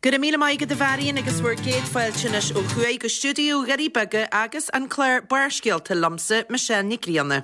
Go raibh míle maith agat a Mharion agus bhur gcéad fáilte anois ó thuaidh go stiúideo Dhoirí Beaga agus an clár Barrscéalta liomsa, Michelle Nic Grianna.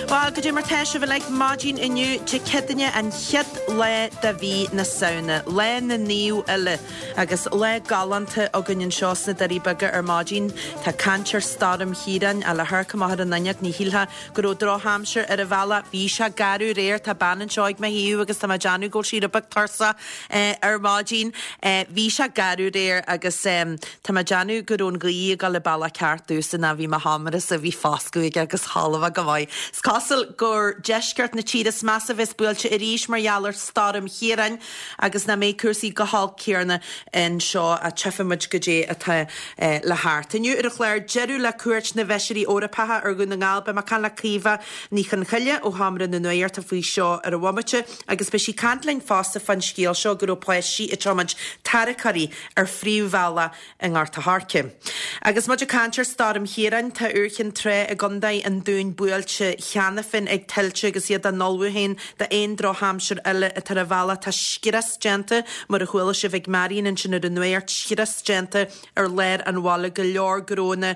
Bhuel, goidé mar tá sibh uilig maidin inniu, Dé Céadaoine an chéad lá de mhí na Samhna, lá na naomh uile, agus lá galánta againn anseo sna Doirí Beaga ar maidin. Tá caint ar Stoirm Chiaráin, ach le hamharc amach ar an fhuinneog ní shílfeá go raibh drochaimsir ar an bhealach. Bhí sé garbh aréir, tá bean anseo ag mo thaobh agus tá mé ag déanamh go bhfuil sí rud beag tuirseach ar maidin. Bhí sé garbh aréir agus tá mé ag déanamh go raibh an ghaoth ag dul an bealach ceart domhsa ná bhí mo sheomrasa, bhí foscadh aige agus chodlaigh mé go maith. Is cosúil gur deisceart na tíre is measa a bheas buailte arís mar gheall ar Stoirm Chiaráin agus nach mbeidh cúrsaí chomh holc céanna anseo ach tchífidh muid goidé atá le theacht. Inniu ar an chlár, deireadh le cuairt na bhFeisirí Eorpacha ar Dhún na nGall. Beidh mé ag caint le Caoimhe Ní Chonchoille ó Sheomra na Nuachta faoi seo ar an bhomaite agus beidh sí ag caint linn fosta fán scéal seo go raibh páistí ag tiomáint tarracóirí ar phríomhbhealach i nGort a' Choirce. Agus muid ag caint ar Stoirm Chiaráin, tá Iúr Chinn Trá i gContae an Dúin buailte cheana féin ag tuilte agus iad á n-ullmhú féin d'aon drochaimsir eile atá ar an bhealach. Tá scrios déanta, mar a chuala sibh ag Marion ansin ar an nuacht, scrios déanta ar lár an bhaile, go leor gnónna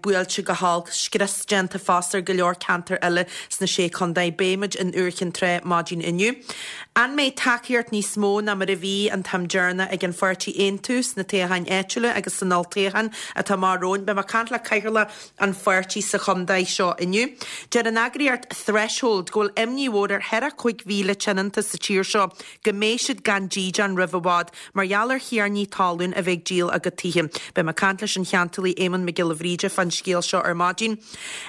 buailte go holc, scrios déanta fosta ar go leor ceantar eile sna Sé Chontae. Beidh muid in Iúr Chinn Trá maidin inniu. An mbeidh tacaíocht níos mó ná mar a bhí an t-am deireanach ag an pháirtí Aontú sna toghcháin áitiúla agus san olltoghchán atá amach romhainn? Beidh mé ag caint le cathaoirleach an pháirtí sa chontae seo inniu. Deir an eagraíocht Threshold go bhfuil imní mhór ar 45,000 tionónta sa tír seo go mbeidh siad gan dídean roimh i bhfad mar gheall ar thiarnaí talún a bheith ag díol a gcuid tithe. Beidh mé ag caint leis an cheantálaí Éamonn Mac Giolla Bhríde fán scéal seo ar maidin.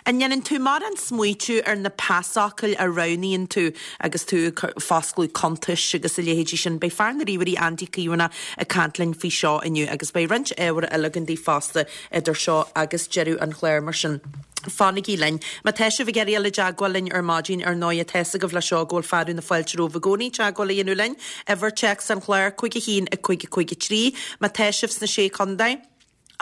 An ndéanann tú mórán smaoitiú ar na pasfhocail a roghnaíonn tú agus tú ag foscladh cuntais agus a leithéidí sin? Beidh fear na ríomhairí Andy Caomhánach ag caint linn faoi seo inniu agus beidh roinnt ábhair eile againn daoibh fosta idir seo agus deireadh an chláir mar sin fanaigí linn. Má tá sibh ag iarraidh dul i dteagmháil linn ar maidin, ar ndóighe, tá fhios agaibh le seo go bhfuil fearadh na fáilte romhaibh i gcónaí teagmháil a dhéanamh linn. Uimhir téacs an chláir, 5 1 5 5 3. Má tá sibh sna Sé Chontae,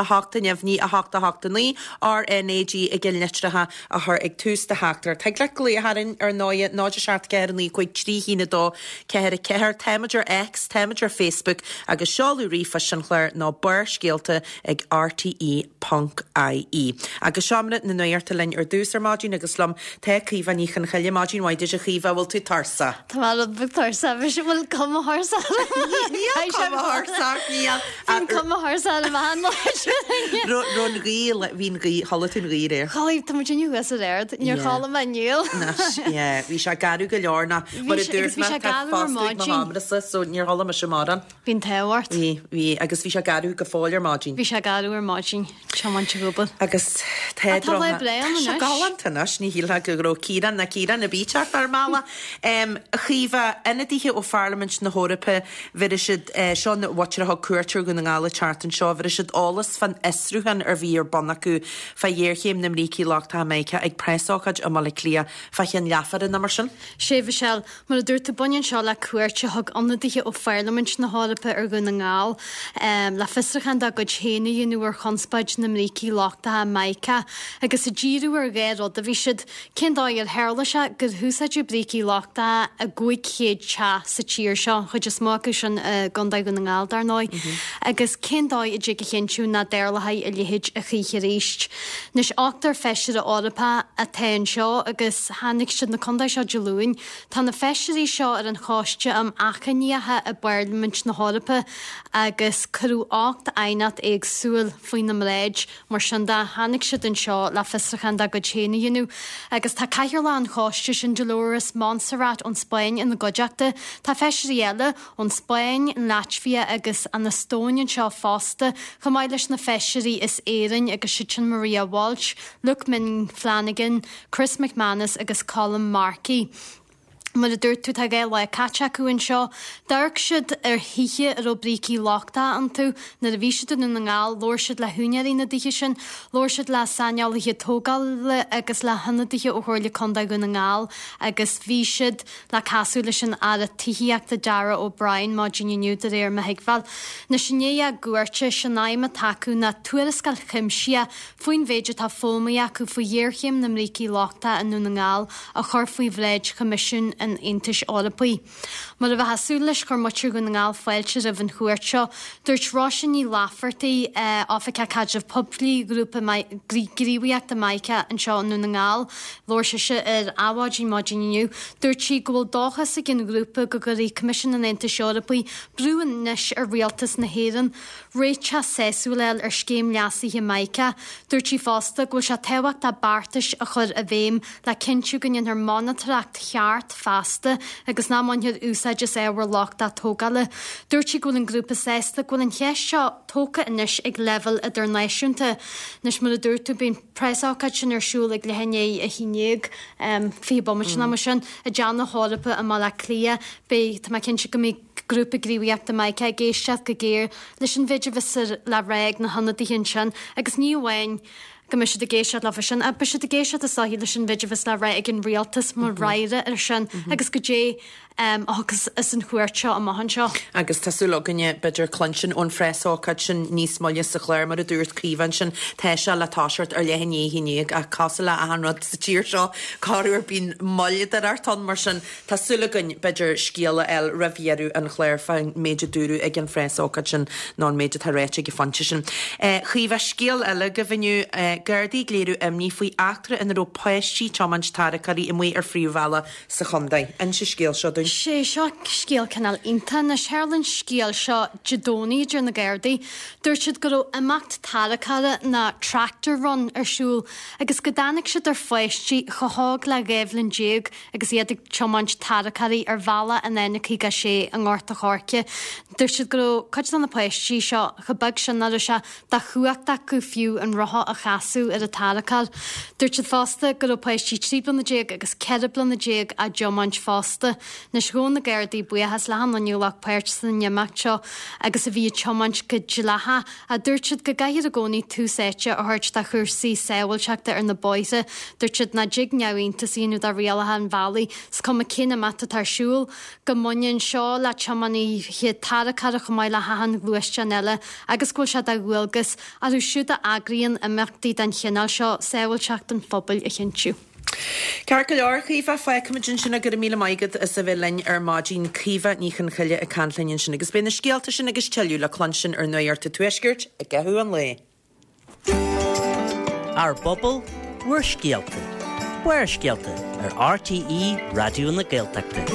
8 neamhní 8 8 9, RNAG i gceannlitreacha a chur ag tús do theachtaireacht. Thig leat glaoch orainn ar ndóighe, 0 7 4 9 5 3 1 2 4 4. Táimid ar X, táimid ar Facebook agus seoladh ríomhphoist an chláir ná barrscéalta ag rte ponc ie. Agus Seomra na Nuachta linn ar dtús ar maidin agus liom tá Caoimhe Ní Chonchoille. Maidin mhaith duit a Chaoimhe, bhfuil tú tuirseach? Tá mé rud beag tuirseach, bhí bhfuil cuma thuirseach orm? Níl cuma thuirseach, níl. Bhí cuma thuirseach orm achan lá. Raibh an ghaoth, bhí an ghaoth, chodlaigh tú an ghaoth aréir? Chodlaigh, tá muid inniu thuas ar ard, níor chodlaigh mé inniu. Yeah, bhí sé garbh go leor ná mar a dúirt mé, tá foscadh ag mo sheomrasa so níor chodlaigh mise mórán. Bhí an t-ádh ort. Bhí, bhí, agus bhí sé garbh go fóill ar maidin. Bhí sé garbh ar maidin, tiomáint ag obair. Agus tá Tá lá breá ann Tá sé anois. galánta anois, ní shílfeá go raibh Ciarán ná Ciarán ar bith teacht ar an mbealach. A Chaoimhe, ionadaithe ó Pharlaimint na hEorpa, bheir siad, seo an mhuintir a thug cuairt ar Dhún na nGall an tseachtain seo, bheir siad eolas fán fhiosrúchán a bhí ar bun acu fá ghéarchéim na mbrící lochtacha Mica ag preasócáid i mBaile Átha Cliath fá cheann leathuaire nó mar sin. Sea, Mhichelle, Mar a dúirt tú, baineann seo le cuairt a thug ionadaithe ó Pharlaimint na hEorpa ar Dhún na nGall le fiosrúchán dá gcuid féin a dhéanamh ar chonspóid na mbrící lochtacha Mica agus ag díriú ar dhá rud a bhí siad, cén dóigh ar tharla sé gur húsáideadh brící lochtacha i gcúig chéad teach sa tír seo, an chuid is mó acu sin i gContae Dhún na nGall, dar ndóigh, agus cén dóigh a dtig a chinntiú nach dtarlóidh a leithéid a choíche arís. Anois, ochtar feisire Eorpach atá anseo agus tháinig siad na contae seo Dé Luain. Tá na feisirí seo ar an Choiste um Achainíocha i bPairlimint na hEorpa agus cuireadh 8 aighneacht éagsúil faoina mbráid. Mar sin de, tháinig siad anseo le fiosrúchán dá gcuid féin a dhéanamh agus tá cathaoirleach an choiste sin, Dolores Montserrat ón Spáinn ina gcuideachta. Tá feisirí eile ón Spáinn, an Laitvia agus an Eastóin anseo fosta, chomh maith leis na feisirí as Éirinn agus siad sin Maria Walsh, Luke Ming Flanagan, Chris McManus agus Colm Markey. Mar a dúirt tú, tá 2 lá caite acu anseo. D'amharc siad ar thithe a raibh brící lochtacha iontu. Nuair a bhí siad i nDún na nGall, labhair siad le húinéirí na dtithe sin, labhair siad le saineolaithe tógála agus le hionadaithe ó Chomhairle Contae Dhún na nGall agus bhí siad le casadh leis an Aire Tithíochta Darragh O'Brien maidin inniu de réir mo thuigbheáil. Anois i ndiaidh a gcuairte, is é an aidhm atá acu ná tuarascáil chuimsitheach faoin mhéid atá foghlamtha acu faoi ghéarchéim na mbrící lochtacha i nDún na nGall a chur faoi bhráid Choimisiún an Aontais Eorpaigh. Mar a bheifeá ag súil leis, chuir muintir Dhún na nGall fáilte roimh an chuairt seo. Dúirt Róisín Ní Laifeartaigh, Oifigeach Caidrimh Poiblí Ghrúpa Gníomhaíochta Mica anseo i nDún na nGall, labhair sise ar Adhmhaidin maidin inniu, dúirt sí go bhfuil dóchas ag an ghrúpa go gcuirfidh Coimisiún an Aontais Eorpaigh brú anois ar Rialtas na hÉireann réiteach sásúil a fháil ar scéim leasaithe Mica. Dúirt sí fosta go bhfuil sé tábhachtach beartais a chur i bhfeidhm le cinntiú go ndéanfar monatóireacht cheart feasta agus nach mbainfear úsáid as ábhar lochtach tógála. Dúirt sí go bhfuil an grúpa sásta go bhfuil an cheist seo tógtha anois ag leibhéal idirnáisiúnta. Anois mar a dúirt tú beidh an preasócáid sin ar siúl ag leath i ndiaidh 11, 20 bomaite nó mar sin, i dTeach na hEorpa i mBaile Átha Cliath. Beidh, tá mé cinnte go mbeidh Grúpa Gníomhaíochta Mica ag éisteacht go géar leis an mhéid a bheas le rá ag na hionadaithe ansin agus ní amháin go mbeidh siad ag éisteacht leofa sin ach beidh siad ag éisteacht is dóichí leis an mhéid a bheas le rá ag an rialtas mar fhreagra air sin agus goidé a thiocfas as an chuairt seo amach anseo. Agus tá súil againne, b'fhéidir, cluinstin ón phreasócáid sin níos moille sa chlár, mar a dúirt Caoimhe ansin, tá sé le toiseacht ar leath i ndiaidh 11 ach cosúil le achan rud sa tír seo, corruair bíonn moill ag teacht ann, mar sin Tá súil againn, b'fhéidir, scéal a fháil roimh dheireadh an chláir fán méid a dúradh ag an phreasócáid sin nó an méid atá ráite ag an phointe sin. Chaoimhe, scéal eile agaibh inniu, Gardaí ag léiriú imní faoi eachtra ina raibh páistí ag tiomáint tarracóirí amuigh ar phríomhbhealach sa chontae. Inis an scéal seo dúinn. Sé seo scéal cineál iontach. Anois, tharla an scéal seo Dé Domhnaigh, a deir na Gardaí. Dúirt siad go raibh imeacht tarracóra nó tractor run ar siúl agus go dtáinig siad ar pháistí chomh hóg le 12 bhliain agus iad ag tiomáint tarracóirí ar bhealach an N56 i nGort a' Choirce. Dúirt siad go raibh cuid de na páistí seo chomh beag sin nach raibh sé de chumhacht acu fiú an rothar a chasadh ar an tarracóir. Dúirt siad fosta go raibh páistí 13 bliana agus 14 bliana á dtiomáint fosta. Anois ghabh na Gardaí buíochas le achan duine a ghlac páirt san imeacht seo agus a bhí ag tiomáint go dleathach. Ach dúirt siad go gcaithfear i gcónaí tús áite a thabhairt do chúrsaí sábháilteachta ar na bóithre. Dúirt siad nach dtig neamhiontas a dhéanamh de rialacha an bhealaigh, is cuma cén imeacht atá ar siúl, go mbaineann seo le tiománaithe tarracóra chomh maith le hachan ghluaisteán eile agus go bhfuil sé de dhualgas orthu siúd a eagraíonn imeachtaí den chineál seo sábháilteacht an phobail a chinntiú. Ceart go leor, a Chaoimhe, fágfaimid ansin é. Go raibh míle maith agat as a bheith linn ar maidin. Caoimhe Ní Chonchoille ag caint linn ansin agus beidh na scéalta sin agus tuilleadh le cluinstin ar Nuacht an Tuaiscirt i gcaitheamh an lae. Ár bpobal, bhur scéalta. Barrscéalta ar RTÉ Raidió na Gaeltachta.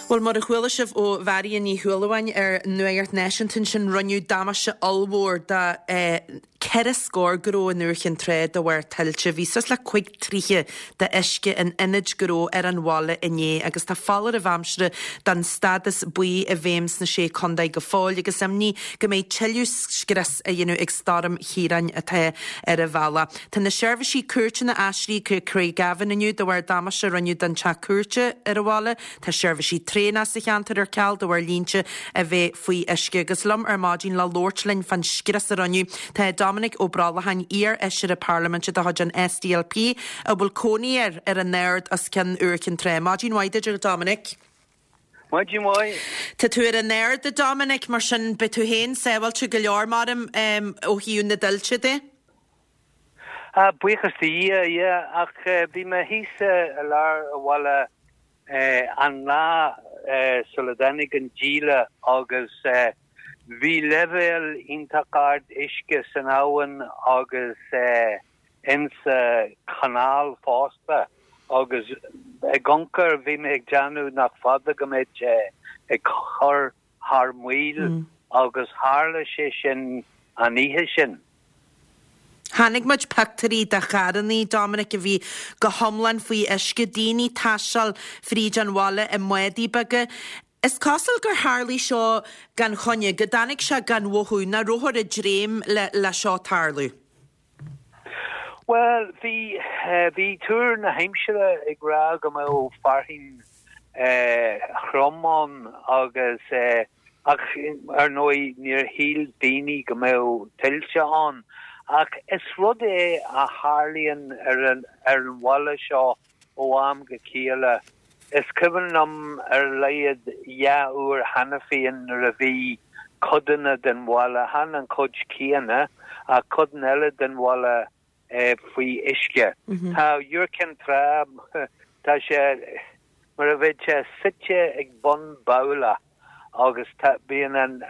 Bhuel, mar a chuala sibh ó Mharion Ní Shúilleabháin ar Nuacht Náisiúnta ansin, rinneadh damáiste ollmhór do 4 scór gnó in Iúr Chinn Trá de bharr tuilte. Bhí suas le cuig troithe de uisce in ionaid gnó ar an bhaile inné agus tá foláireamh aimsire den stádas buí i bhfeidhm sna Sé Contae go fóill agus imní go mbeidh tuilleadh scrios á dhéanamh ag Stoirm Chiaráin atá ar an bhealach. Tá na seirbhísí cúirteanna aistrithe go Craigavon inniu de bharr damáiste a rinneadh don teach cúirte ar an bhaile. Tá seirbhísí traenach sa cheantar ar ceal de bharr línte a bheith faoi uisce. Agus liom ar maidin le labhairt linn fán scrios a rinneadh, tá Dominic Ó Brollacháin, iar-fheisire parlaiminte de chuid an SDLP, a bhfuil cónaí air ar an Ard os cionn Iúr Chinn Trá. Maidin mhaith duit, a Dominic. Maidin mhaith. Tá tú ar an Ard, a Dominic, mar sin beidh tú féin sábháilte go leor, maram, ó thaobh na dtuilte de. Ah, buíochas do Dhia, yeah, ach bhí mé thíos i lár an bhaile an lá sula dtáinig an díle agus bhí leibhéal iontach ard uisce san abhainn agus insa chanáil fosta agus ag amharc air bhí mé ag déanamh nach fada go mbeadh sé ag cur thar maoil agus tharla sé sin an oíche sin. Chonaic muid pictiúirí de charrannaí, Dominic, a bhí go hiomlán faoi uisce, daoine ag taisteal fríd an bhaile i mbádaí beaga. Is cosúil gur tharlaigh seo gan choinne, go dtáinig sé gan mhothú, nach rabhthar ag dréim le seo tarlú. Bhuel, bhí, bhí tuar na haimsire ag rá go mbeadh fearthainn throm ann agus, ach ar ndóigh níor shíl daoine go mbeadh tuilte ann. Ach is rud é a tharlaíonn ar an, ar an bhaile seo ó am go chéile. Is cuimhin liom ar a laghad dhá uair cheana féin nuair a bhí codanna den bhaile, chan an chuid chéanna, ach codanna eile den bhaile faoi uisce. Tá Iúr Cinn Trá, tá sé mar a bheadh sé suite ag bun babhla agus tá, bíonn an,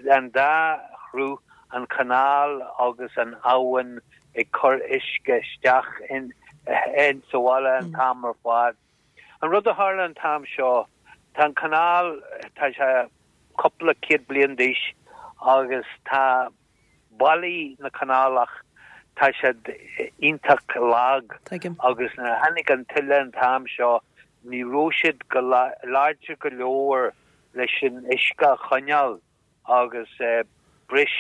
an dá shruth, an chanáil agus an abhainn ag cur uisce isteach in, in sa bhaile an t-am ar fad. An rud a tharla an t-am seo, tá an canáil, tá sé cúpla céad bliain d'aois agus tá ballaí na canálach, tá siad iontach lag agus nuair a tháinig an tuile an t-am seo, ní raibh siad go láidir go leor leis an uisce a choinneáil agus bhris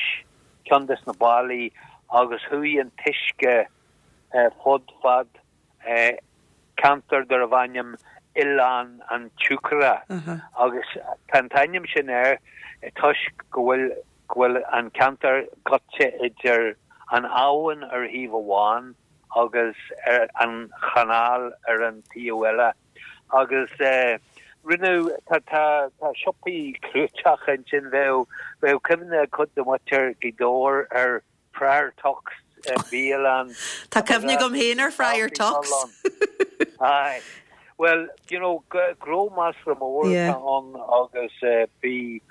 ceann des na ballaí agus chuaigh an t-uisce fud fad ceantar darbh ainm Oileán an tSiúcaire agus tá an t-ainm sin air toisc go bhfuil go bhfuil an ceantar gaibhte idir an abhainn ar thaobh amháin agus ar an chanáil ar an taobh eile. Agus rinneadh, tá tá tá siopaí clúiteach ansin, bheadh bheadh cuimhne ag cuid de mhuintir Ghaoth Dobhair ar Friar Tuck's bialann. Tá cuimhne agam féin ar Friar Tuck's. Aye. Well, you know, gnó measartha mór atá ann agus bhí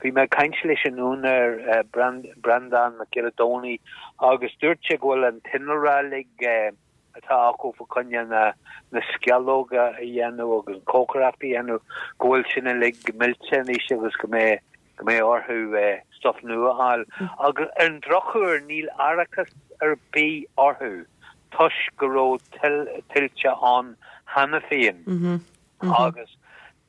bhí mé ag caint leis an úinéir Breandán Mac Giolla Domhnaigh agus dúirt sé go bhfuil an t-innealra uilig atá acu fá choinne na na sceallóga a dhéanamh agus an chócaireacht a dhéanamh go bhfuil sin uilig millte anois agus go mbeidh go mbeidh orthu stuff nua a fháil. Agus ar an drochuair níl árachas ar bith orthu toisc go raibh tuilte ann cheana féin agus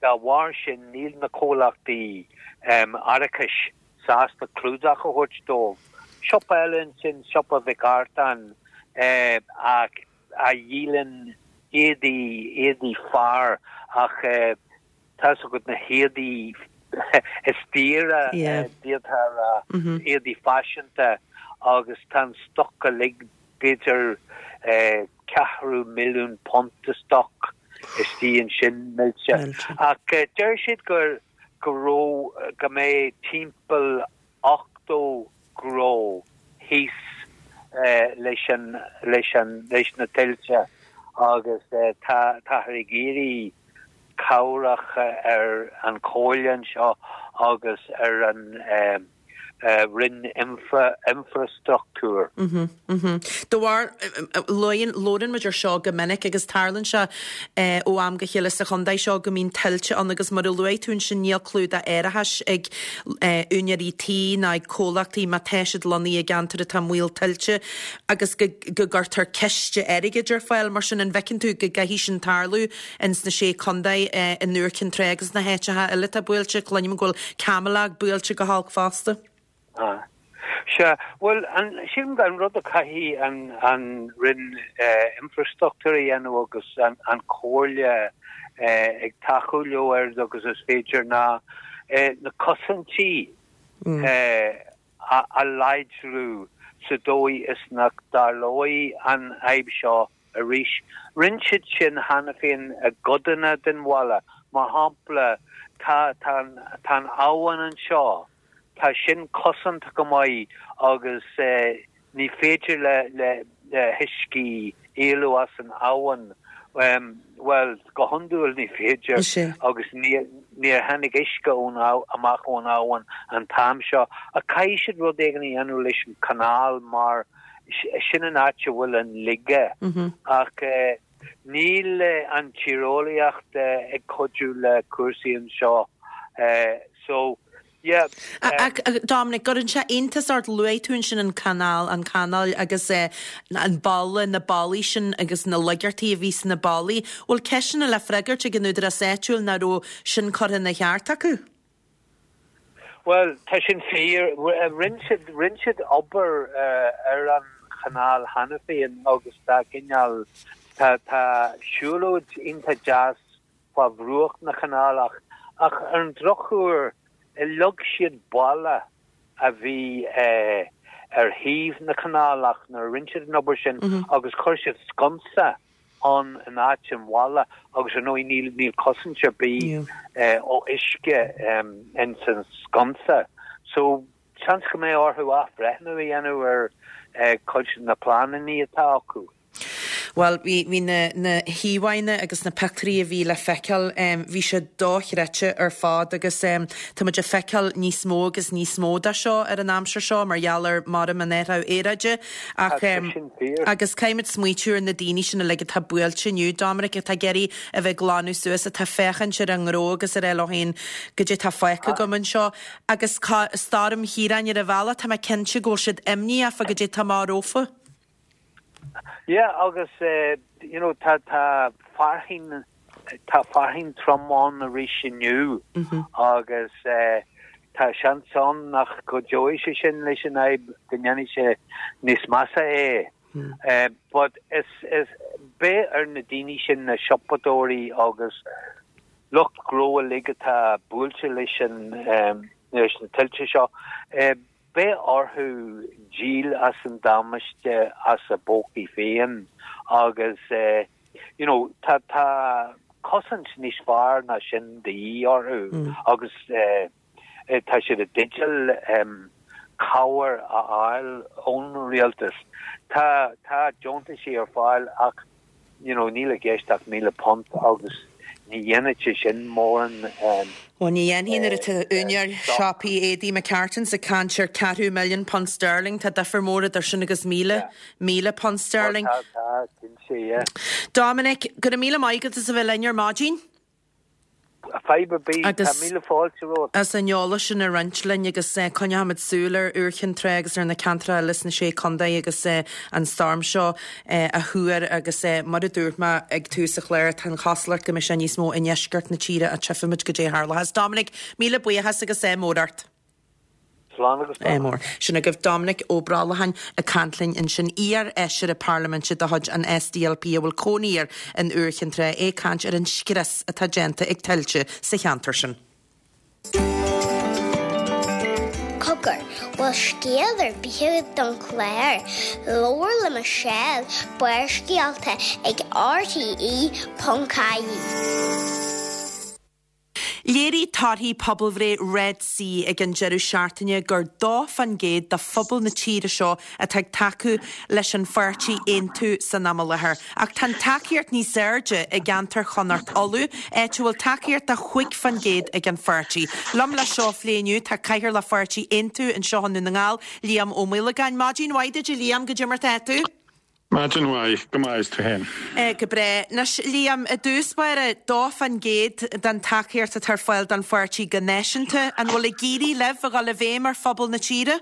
dá bharr sin níl na comhlachtaí árachais sásta clúdach a thabhairt dóibh. Siopa eile ansin, Siopa Mhic Artáin, a dhíolann éadaí, éadaí fear ach tá's agat na héadaí is daoire, d'fhéadfá a rá, éadaí faiseanta agus tá an stoc uilig, b'fhéidir ceathrú milliún punt de stoc istigh ansin millte. Ach deir siad gur go raibh, go mbeidh timpeall 80 gnó thíos leis an, leis an, leis na tuilte agus tá, táthar ag iarraidh cabhrach ar an chomhairle anseo agus ar an Roinn Infreastruchtúir. De bharr, labhrann muid ar seo go minic agus tarlaíonn sé ó am go chéile sa chontae seo go mbíonn tuilte ann agus mar a luaigh tú ansin níl clúdach árachais ag úinéirí tí ná ag comhlachtaí má tá siad lonnaithe i gceantar atá i mbaol tuilte agus go gcuirtear ciste airgid ar fáil. Mar sin an bhfeiceann tú go gcaithfidh sin tarlú ins na Sé Contae, in Iúr Cinn Trá agus na háiteacha eile atá buailte. Cluinim go bhfuil Camelagh buailte go holc fosta. Sea, bhuel, an, sílim an rud a chaithfidh an, an Roinn Infreastruchtúir a dhéanamh agus an, an Chomhairle ag tacú leo oiread agus is féidir ná na cosaintí a láidriú sa dóigh is nach dtarlóidh an fhadhb seo arís. Rinne siad sin cheana féin i gcodanna den bhaile. Mar shampla, tá, tá an, tá an abhainn anseo, tá sin cosanta go maith agus ní féidir le, le, le huiscí éalú as an abhainn. Bhuel, go hiondúil ní féidir agus níor, níor tháinig uisce ón, amach ón abhainn an t-am seo. Ach caithfidh siad rud éigin a dhéanamh leis an chanáil mar sin an áit a bhfuil an laige. Ach níl an tíreolaíocht ag cuidiú le cúrsaí anseo. So, yeah. Ach, Dominic, gcuireann sé iontas ort, luaigh tú ansin an canáil, an chanáil agus an balla, na ballaí sin agus na laigeartaí a bhí sna ballaí. Bhfuil ceisteanna le freagairt ag an údarás áitiúil nach raibh sin curtha ina cheart acu? Bhuel, tá sin fíor. Rinne siad, rinne siad obair ar an. chanáil cheana féin agus tá cineál, tá, tá siúlóid iontach deas fá bhruach na canálach ach ar an drochuair leag siad balla a bhí ar thaobh na canálach nuair a rinne siad an obair sin agus chuir siad sconsa ann in áit an bhalla agus ar ndóigh níl níl cosaint ar bith ó uisce ins an sconsa. So seans go mbeidh orthu athbhreithniú a dhéanamh ar cuid de na pleananna atá acu. Bhuel, bhí, bhí na, na híomhánna agus na pictiúirí a bhí le feiceáil, bhí sé dochreidte ar fad agus tá muid ag feiceáil níos mó agus níos mó de seo ar an aimsir seo mar gheall ar maram an athrú aeráide ach Tá sin fíor. agus caithfimid smaoitiú ar na daoine sin uilig atá buailte inniu, Dominic, atá ag iarraidh a bheith ag glanadh suas, atá ag féachaint ar a ngnó agus ag rá leo féin, goidé tá fágtha agam anseo agus Stoirm Chiaráin ar an bhealach, tá mé cinnte go bhfuil siad imníoch fá goidé tá amach rompu. Yeah agus you know tá tá fearthainn tá fearthainn trom ann arís inniu agus tá seans ann nach gcuideoidh sé sin leis an fhadhb go ndéanfaidh sé níos measa é. But is is beidh ar na daoine sin na siopadóirí agus lucht gnó uilig atá buailte leis an leis na tuilte seo Beidh orthu díol as an damáiste as a bpócaí féin agus you know tá tá cosaint níos fearr ná sin de dhíth orthu agus tá siad i dteideal cabhair a fháil ón rialtas. Tá tá deontaisí ar fáil ach you know níl i gceist ach £1,000 agus ní dhéanfaidh sé sin mórán Bhuel ní dhéanfaidh nuair atá úinéir siopaí éadaí McCartans ag caint ar ceathrú milliún punt sterling, tá difear mór idir sin agus £1,000 sterling. Tá, tá, cinnte, yeah. Dominic, go raibh míle maith agat as a bheith linn ar maidin. Fadhb ar bith. Tá míle fáilte romhat. As an eolas sin a roinnt linn agus coinneochaimid súil ar Iúr Chinn Trá agus ar na ceantracha eile sna Sé Contae agus an stoirm seo á thuar agus mar a dúirt mé ag tús an chláir, tá an chosúlacht go mbeidh sé níos mó i ndeisceart na tíre ach tchífimid goidé a tharlóchas. Dominic, míle buíochas agus ádh mór ort. Slán agus beannacht. Mór. Sin agaibh Dominic Ó Brollacháin ag caint linn ansin, iar-fheisire parlaiminte de chuid an SDLP a bhfuil cónaí air in Iúr Chinn Trá, é ag caint ar an scrios atá déanta ag tuilte sa cheantar sin. Cogar, bhfuil scéal ar bith agat don chlár? Labhair le Michelle, Barrscéalta ag RTE.ie. Léirigh torthaí pobalbhreith Red C ag an deireadh seachtaine gur 2% de phobal na tíre seo atá ag tacú leis an pháirtí Aontú san am i láthair. Ach tá an tacaíocht níos airde i gceantar Chonnacht Uladh, áit a bhfuil tacaíocht de 5% ag an pháirtí. Liom le seo a phlé inniu tá Cathaoirleach Pháirtí Aontú anseo i nDún na nGall, Liam Ó Maolagáin. Maidin mhaith duit a Liam, goidé mar tá tú? Maidin mhaith, go maith, is tú féin? Go breá. Anois, Liam, i dtús báire, 2% den tacaíocht atá ar fáil don pháirtí go náisiúnta. An bhfuil ag éirí libh a dhul i bhfeidhm ar phobal na tíre?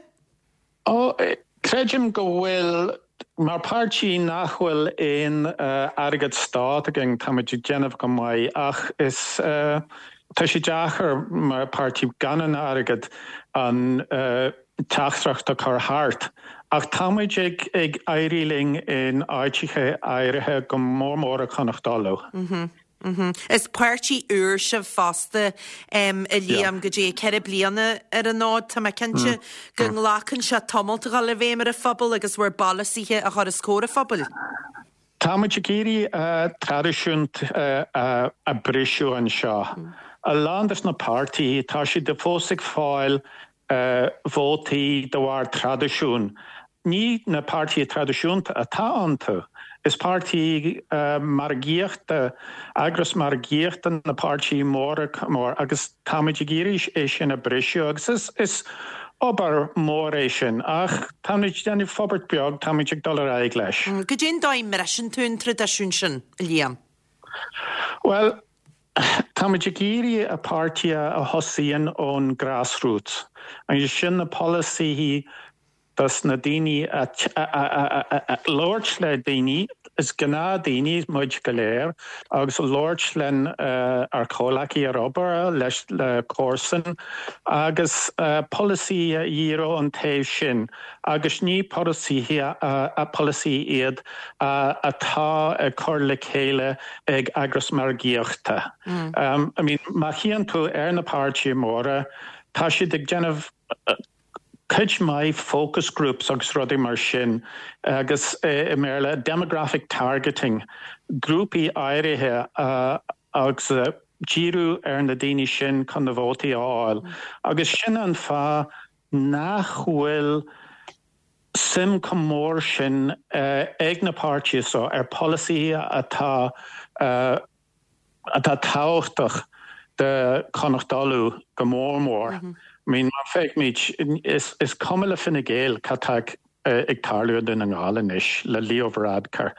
Ó, creidim go bhfuil. Mar páirtí nach bhfuil aon airgead stát againn, táimid ag déanamh go maith ach is, tá sé deacair mar páirtí gan an airgead an, teachtaireacht a chur thart. Ach táimid ag ag éirí linn in áiteacha áirithe, go mór mór i Connacht Uladh. Is páirtí úr sibh fosta, a Liam, go dtí 4 bliana ar an fhód. Tá mé cinnte go nglacann sé tamalt a dhul i bhfeidhm ar an phobal agus bhur bpolasaithe a chur os comhair an phobail. Táimid ag iarraidh traidisiún a briseadh anseo. A lán des na páirtithe, tá siad fós ag fáil vótaí de bharr traidisiún. Ní na páirtithe traidisiúnta atá iontu. Is páirtí margaíochta, eagras margaíochta na páirtithe móra agus táimid ag iarraidh é sin a briseadh agus is obair mhór é sin ach táimid ag déanamh forbairt beag, táimid ag dul ar aghaidh leis. Goidé an dóigh a mbriseann tú an traidisiún sin, a Liam? Bhuel, táimid ag iarraidh páirtí a thosaíonn ón grassroots agus sin na polasaithe. dos na daoine a labhairt le daoine, is gnáthdaoine muid go léir, agus labhairt len ár comhleacaí ar obair, leis le comharsain, agus polasaí a dhíriú an taobh sin, agus ní polasaithe polasaí iad atá ag cur le chéile ag eagras margaíochta. I mean, má chíonn tú ar na páirtithe móra, tá siad ag déanamh cuid mhaith focus groups agus rudaí mar sin agus i mBéarla demographic targeting, grúpaí áirithe agus díriú ar na daoine sin chun na vótaí a fháil agus sin an fáth nach bhfuil suim chomh mór sin ag na páirtithe seo ar pholasaithe atá atá tábhachtach do Chonnacht Uladh go mór mór. I mean, má féachaimid, is cuma le Fine Gael cad tá ag tarlú i nDún na nGall anois le Leo Varadkar.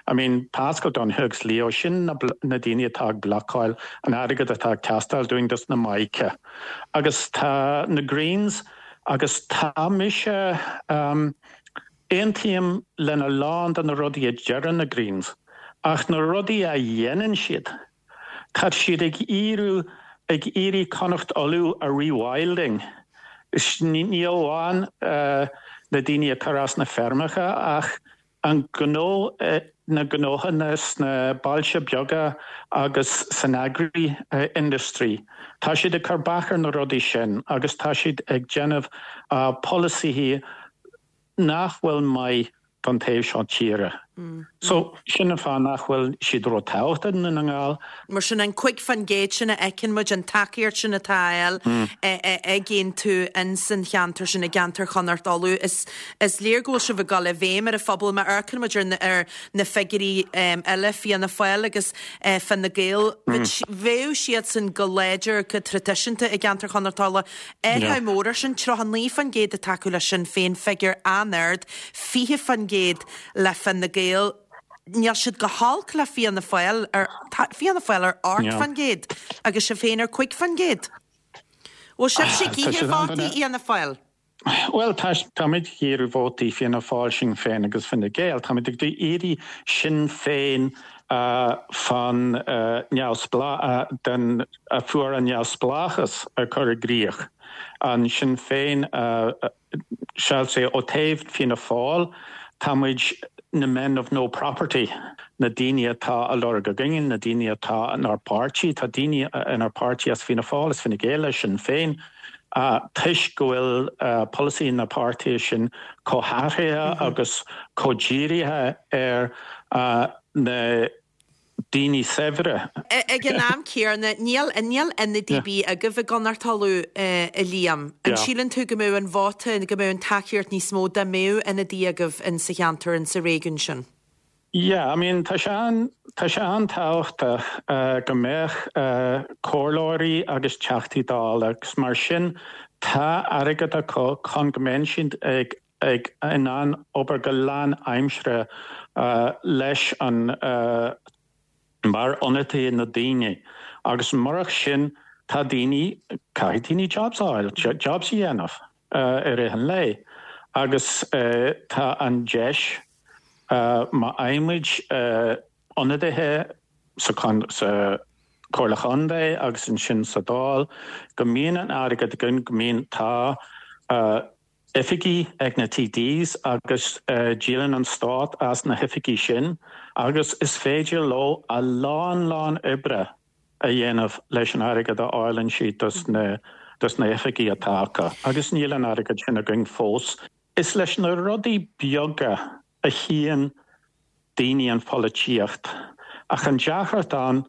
I mean, Paschal Donohoe agus Leo, sin na daoine atá ag blocáil an airgead atá ag teastáil dúinn dos na Mica. Agus tá na Greens agus tá mise, aontaím lena lán de na rudaí a deireann na Greens, ach na rudaí a dhéanann siad, tá siad ag iarraidh ag iarraidh Connacht Uladh a rewilding. Ní amháin na daoine a chur as na feirmeacha ach an gnó, na gnóthanna sna bailte beaga agus san agri industry. Tá siad ag cur bac ar na rudaí sin agus tá siad ag déanamh polasaithe nach bhfuil maith don taobh seo tíre. So, sin an fáth nach bhfuil siad ró-tábhachtach i nDún na nGall. Mar sin, an 5% sin a fheiceann muid, an tacaíocht sin atá á fháil ag Aontú ins an cheantar sin, i gceantar Chonnacht Uladh, is léir go bhfuil sibh ag dul i bhfeidhm ar an phobal. Má amharcann muid ar na figiúirí eile, Fianna Fáil agus Fine Gael, bheadh siadsan go láidir, go traidisiúnta i gceantar Chonnacht Uladh. Athrú mór air sin, 39% ag tacú le Sinn Féin, figiúr an-ard, 20% le Fine Gael. Níl siad go holc le Fianna Fáil, tá Fianna Fáil ar 8% agus sibh féin ar 5%. Bhfuil sibhse ag ithe vótaí Fhianna Fáil? Bhuel, táimid ag iarraidh vótaí Fianna Fáil, Sinn Féin agus Fine Gael. Táimid ag iarraidh Sinn Féin fan neamhspleách den a fuair an neamhspleáchas a chur i gcrích. An Sinn Féin shall say ó taobh Fianna Fáil tá muid na men of no property, na daoine atá á lorg againn, na daoine atá inár bpáirtí, tá daoine inár bpáirtí as Fianna Fáil, as Fine Gael, as Sinn Féin, toisc go bhfuil polasaí na páirtithe sin chomh hathraithe agus chomh dírithe ar na daoine saibhre. Ag an am céanna, níl níl ionadaí ar bith agaibh i gConnacht Uladh, a Liam. An síleann tú go mbeadh an vóta, go mbeadh an tacaíocht níos mó dá mbeadh ionadaí agaibh in sa cheantar, in sa réigiún sin? Yeah, I mean, tá sé an, tá sé an-tábhachtach go mbeadh comhairleoirí agus Teachtaí Dála agus mar sin tá airgead acu chun go mbeidh siad ag ag in ann obair go lán-aimseartha leis an mar ionadaithe na daoine agus murach sin tá daoine, caithfidh daoine jobs a fháil, jobs a dhéanamh i rith an lae agus tá an deis má fhaighimid ionadaithe sa sa Chomhairle Chontae agus ansin sa Dáil go mbíonn an airgead againn, go mbíonn, tá. oifigí ag na TDs agus díolann an stát as na hoifigí sin agus is féidir leo a lán lán oibre a dhéanamh leis an airgead a fháileann siad dos na dos na hoifigí atá acu agus níl an airgead sin againn fós. Is leis na rudaí beaga a chíonn daoine an pholaitíocht ach an deacracht ann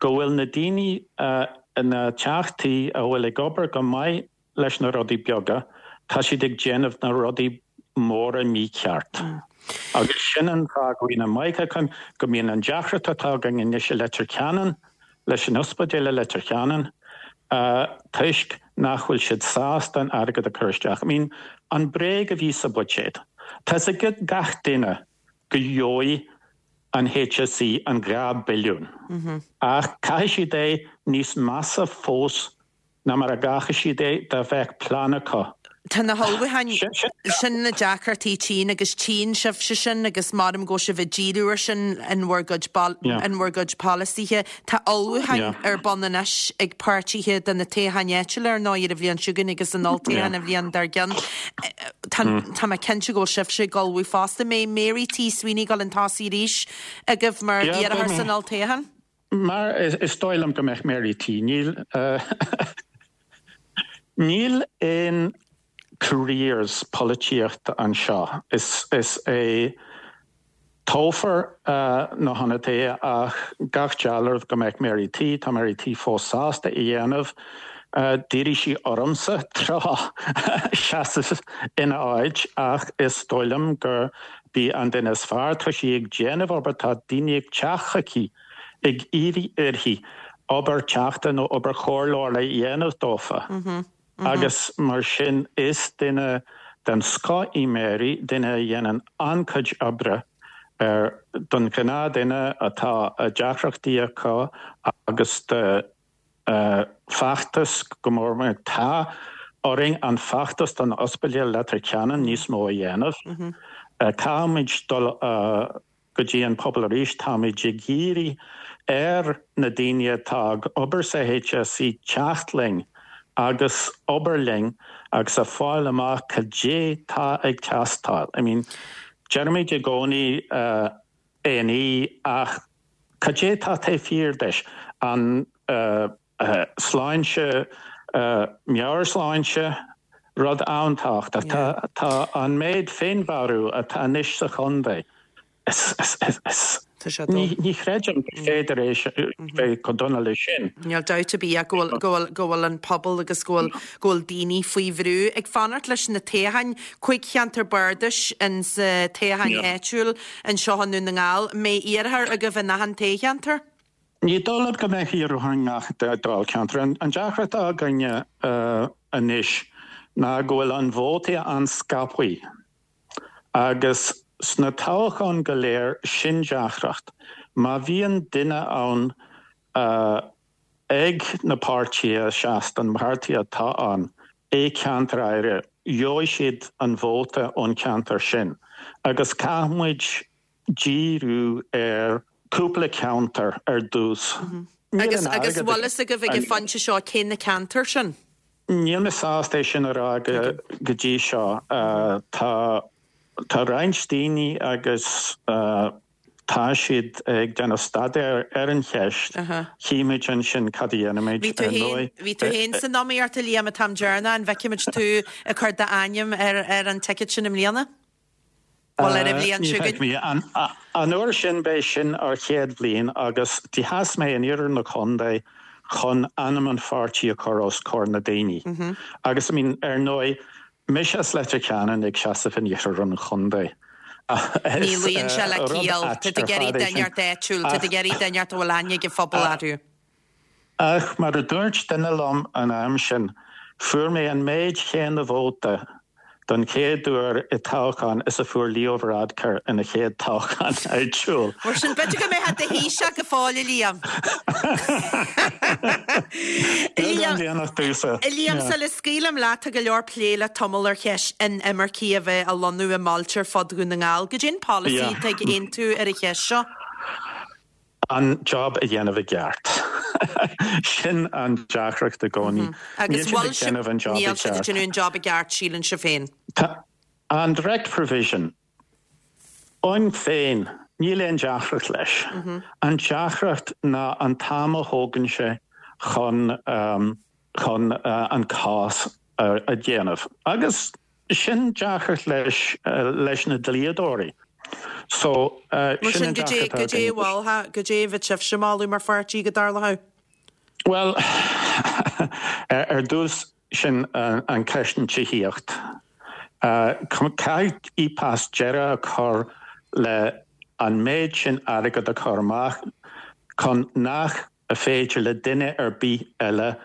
go bhfuil na daoine na teachtaí a bhfuil ag obair go maith leis na rudaí beaga, tá siad ag déanamh na rudaí móra mícheart. Agus sin an fáth go mbíonn an mica againn, go mbíonn an deacracht atá againn anois i Leitir Ceanainn, leis an ospidéal i Leitir Ceanainn, toisc nach bhfuil siad sásta an airgead a chur isteach. I mean, an bréag a bhí sa bhuiséad. Tá 'fhios ag gach duine go gheobhaidh an HSE an 2 billiún. Ach caithfidh siad é níos measa fós ná mar a gcaithfeadh siad é dá bheadh plean acu. Tá na hullmhúcháin, sin na deacrachtaí tchíonn agus tchíonn sibhse sin agus maram go bhfuil sibh ag díriú air sin in bhur gcuid in bhur gcuid polasaithe. Tá ullmhúcháin ar bun anois ag páirtithe do na toghcháin áitiúla ar ndóigh ar an bhliain seo chugainn agus an olltoghchán an bhliain dár gcionn. Tá tá mé cinnte go bhfuil sibhse ag ullmhú fosta. An mbeidh Mary T Sweeney ag dul chun tosaigh arís agaibh mar iarrthóir san olltoghchán? Mar is dóigh liom go mbeidh Mary T. Níl níl aon careers polaitíochta anseo. Is is é toghfar na hionadaithe ach gach dealramh go mbeidh Mary T. Tá Mary T fós sásta é a dhéanamh. D'iarr sí ormsa tráth seasamh ina áit ach is dóigh liom gurb í an duine is fearr. Tá sí ag déanamh obair, tá daoine ag teacht chuici ag iarraidh uirthi obair teachta nó obair chomhairleora a dhéanamh dófa agus mar sin is duine den scoth í Mary, duine a dhéanann an-chuid oibre ar don ghnáthduine atá deacrachtaí acu agus do feachtas go mór mór. Tá orainn an feachtas don Ospidéal Leitir Ceanainn níos mó a dhéanamh. Caithfimid dul go dtí an pobal arís. Táimid ag iarraidh ar na daoine atá ag obair sa HSE teacht linn agus obair linn agus a fáil amach cad é tá ag teastáil. I mean, deirimid i gcónaí A&E ach cad é tá taobh thiar de? An sláinte, meabhairshláinte, rud an-tábhachtach. Tá an méid féinmharú atá anois sa chontae, ní chreidim gur féidir é bheith chomh dona leis sin. Níl dabht ar bith ach go bhfuil, go bhfuil an pobal agus go bhfuil, go bhfuil daoine faoi bhrú. Ag fanacht leis na toghcháin, 5 cheantar bardais in sa toghcháin áitiúil anseo i nDún na nGall. An mbeidh iarrthóir agaibh in achan toghcheantar? Ní dóigh liom go mbeidh iarrthóir i ngach dáilcheantar. An deacracht atá againne anois ná go bhfuil an vótaí an-scaipthe agus sna toghcháin go léir sin deacracht. Má bhíonn duine ann ag na páirtithe a sheas don pháirtí atá ann i ceantar áirithe, gheobhaidh siad an vóta ón cheantar sin agus caithfidh muid díriú ar cúpla ceantar ar dtús. Níl Agus an agus airgead bhfuil fhios agaibh ag an phointe seo cé na ceantair sin? Níl mé sásta é sin a rá go go dtí seo. Tá tá roinnt daoine agus tá siad ag déanamh staidéir ar an cheist. Chífimid ansin cad a dhéanfaimid. Bhí tú Ar féin ndóigh, bhí tú féin san iomaíocht a Liam an t-am deireanach, an bhfeicfimid tú ag cur d'ainm ar ar an ticket sin i mbliana? Bhuel, ar an bhliain seo chugainn. An uair sin, b'é sin ár chéad bhliain agus do sheas mé in iarthar na contae chun ainm an pháirtí a chur os comhair na daoine. Agus, I mean, ar ndóigh, mise as Leitir Ceanainn ag seasamh in iarthar an chontae. Ní luíonn sé le ciall. Tá tú ag iarraidh duine inteacht áitiúil, tá tú ag iarraidh duine inteacht a bhfuil aithne ag an phobal orthu. Ach mar a dúirt duine liom an am sin, fuair mé an méid chéanna vóta don chéad uair i toghchán is a fuair Leo Varadkar ina chéad toghchán áitiúil. Mar sin, b'fhéidir go mbeifeá i do Thaoiseach go fóill, a Liam. Beagán déanach domhsa. A Liam, sula scaoilim leat, tá go leor plé le tamall ar cheist inimircigh a bheith ag lonnú i mbailte ar fud Dhún na nGall. Goidé an polasaí atá ag Aontú ar an cheist seo? An job a dhéanamh i gceart. Sin an deacracht i gcónaí. Níl siad ag déanamh an job i gceart. Níl siad ag déanamh an job i gceart, síleann sibh féin. Tá an direct provision ann féin, níl aon deacracht leis. An deacracht ná an t-am a thógann sé chun chun an cás a dhéanamh. Agus sin deacracht leis leis na dlíodóirí. So, Mar sin an deacracht atá againn. Goidé, goidé a bheadh sibhse ag moladh mar pháirtí go dtarlódh? Bhuel, ar dtús, sin an ceist an tithíocht. Caithfidh IPAS deireadh a chur le an méid sin airgead a chur amach chun nach féidir le duine ar bith eile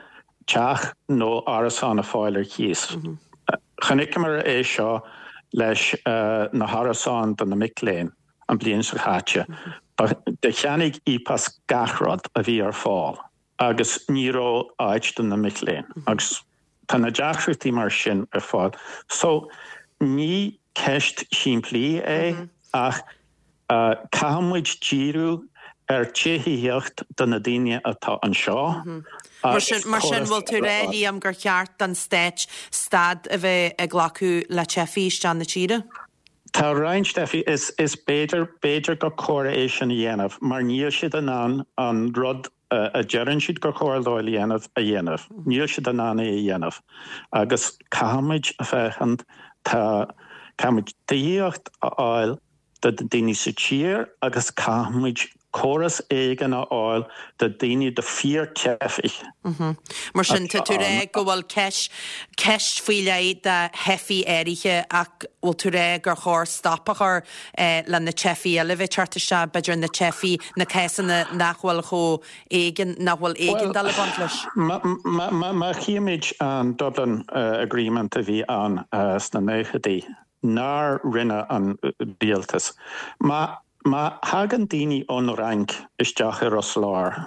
teach nó árasán a fáil ar chíos. Chonaiceamar é seo leis na hárasáin do na mic léinn an bliain seo caite. Do cheannaigh IPAS gach rud a bhí ar fáil agus ní raibh áit do na mic léinn agus. Tá na deacrachtaí mar sin ar fáil. So, ní ceist shimplí é ach caithfidh muid díriú ar tithíocht do na daoine atá anseo Mar sin, mar sin, bhfuil tú ag rá, Liam, gur cheart don Stát stad a bheith ag glacadh le teifigh isteach na tíre? Tá roinnt teifigh, is, is b'fhéidir, b'fhéidir gur chóir é sin a dhéanamh mar níl siad in ann an rud a deireann siad gur chóir dóibh a dhéanamh, a dhéanamh. Níl siad in ann é a dhéanamh agus caithfimid a féachaint, tá, caithfimid tithíocht a fháil do daoine sa tír agus caithfimid córas éigin a fháil do daoine, do fíor-teifigh. Mar sin, tá tú ag rá go bhfuil ceist, ceist faoi leith do theifigh áirithe ach bhfuil tú ag rá gur chóir stop a chur le na teifigh eile a bheith ag teacht isteach, b'fhéidir na teifigh, na cásanna nach bhfuil chomh éigean, nach bhfuil éigeandáil ag baint leis? Bhuel, má chímid an Dublin Agreement a bhí ann sna nóchaidí, nár rinne an rialtas. Má má thagann daoine ón Fhrainc isteach i Ros Láir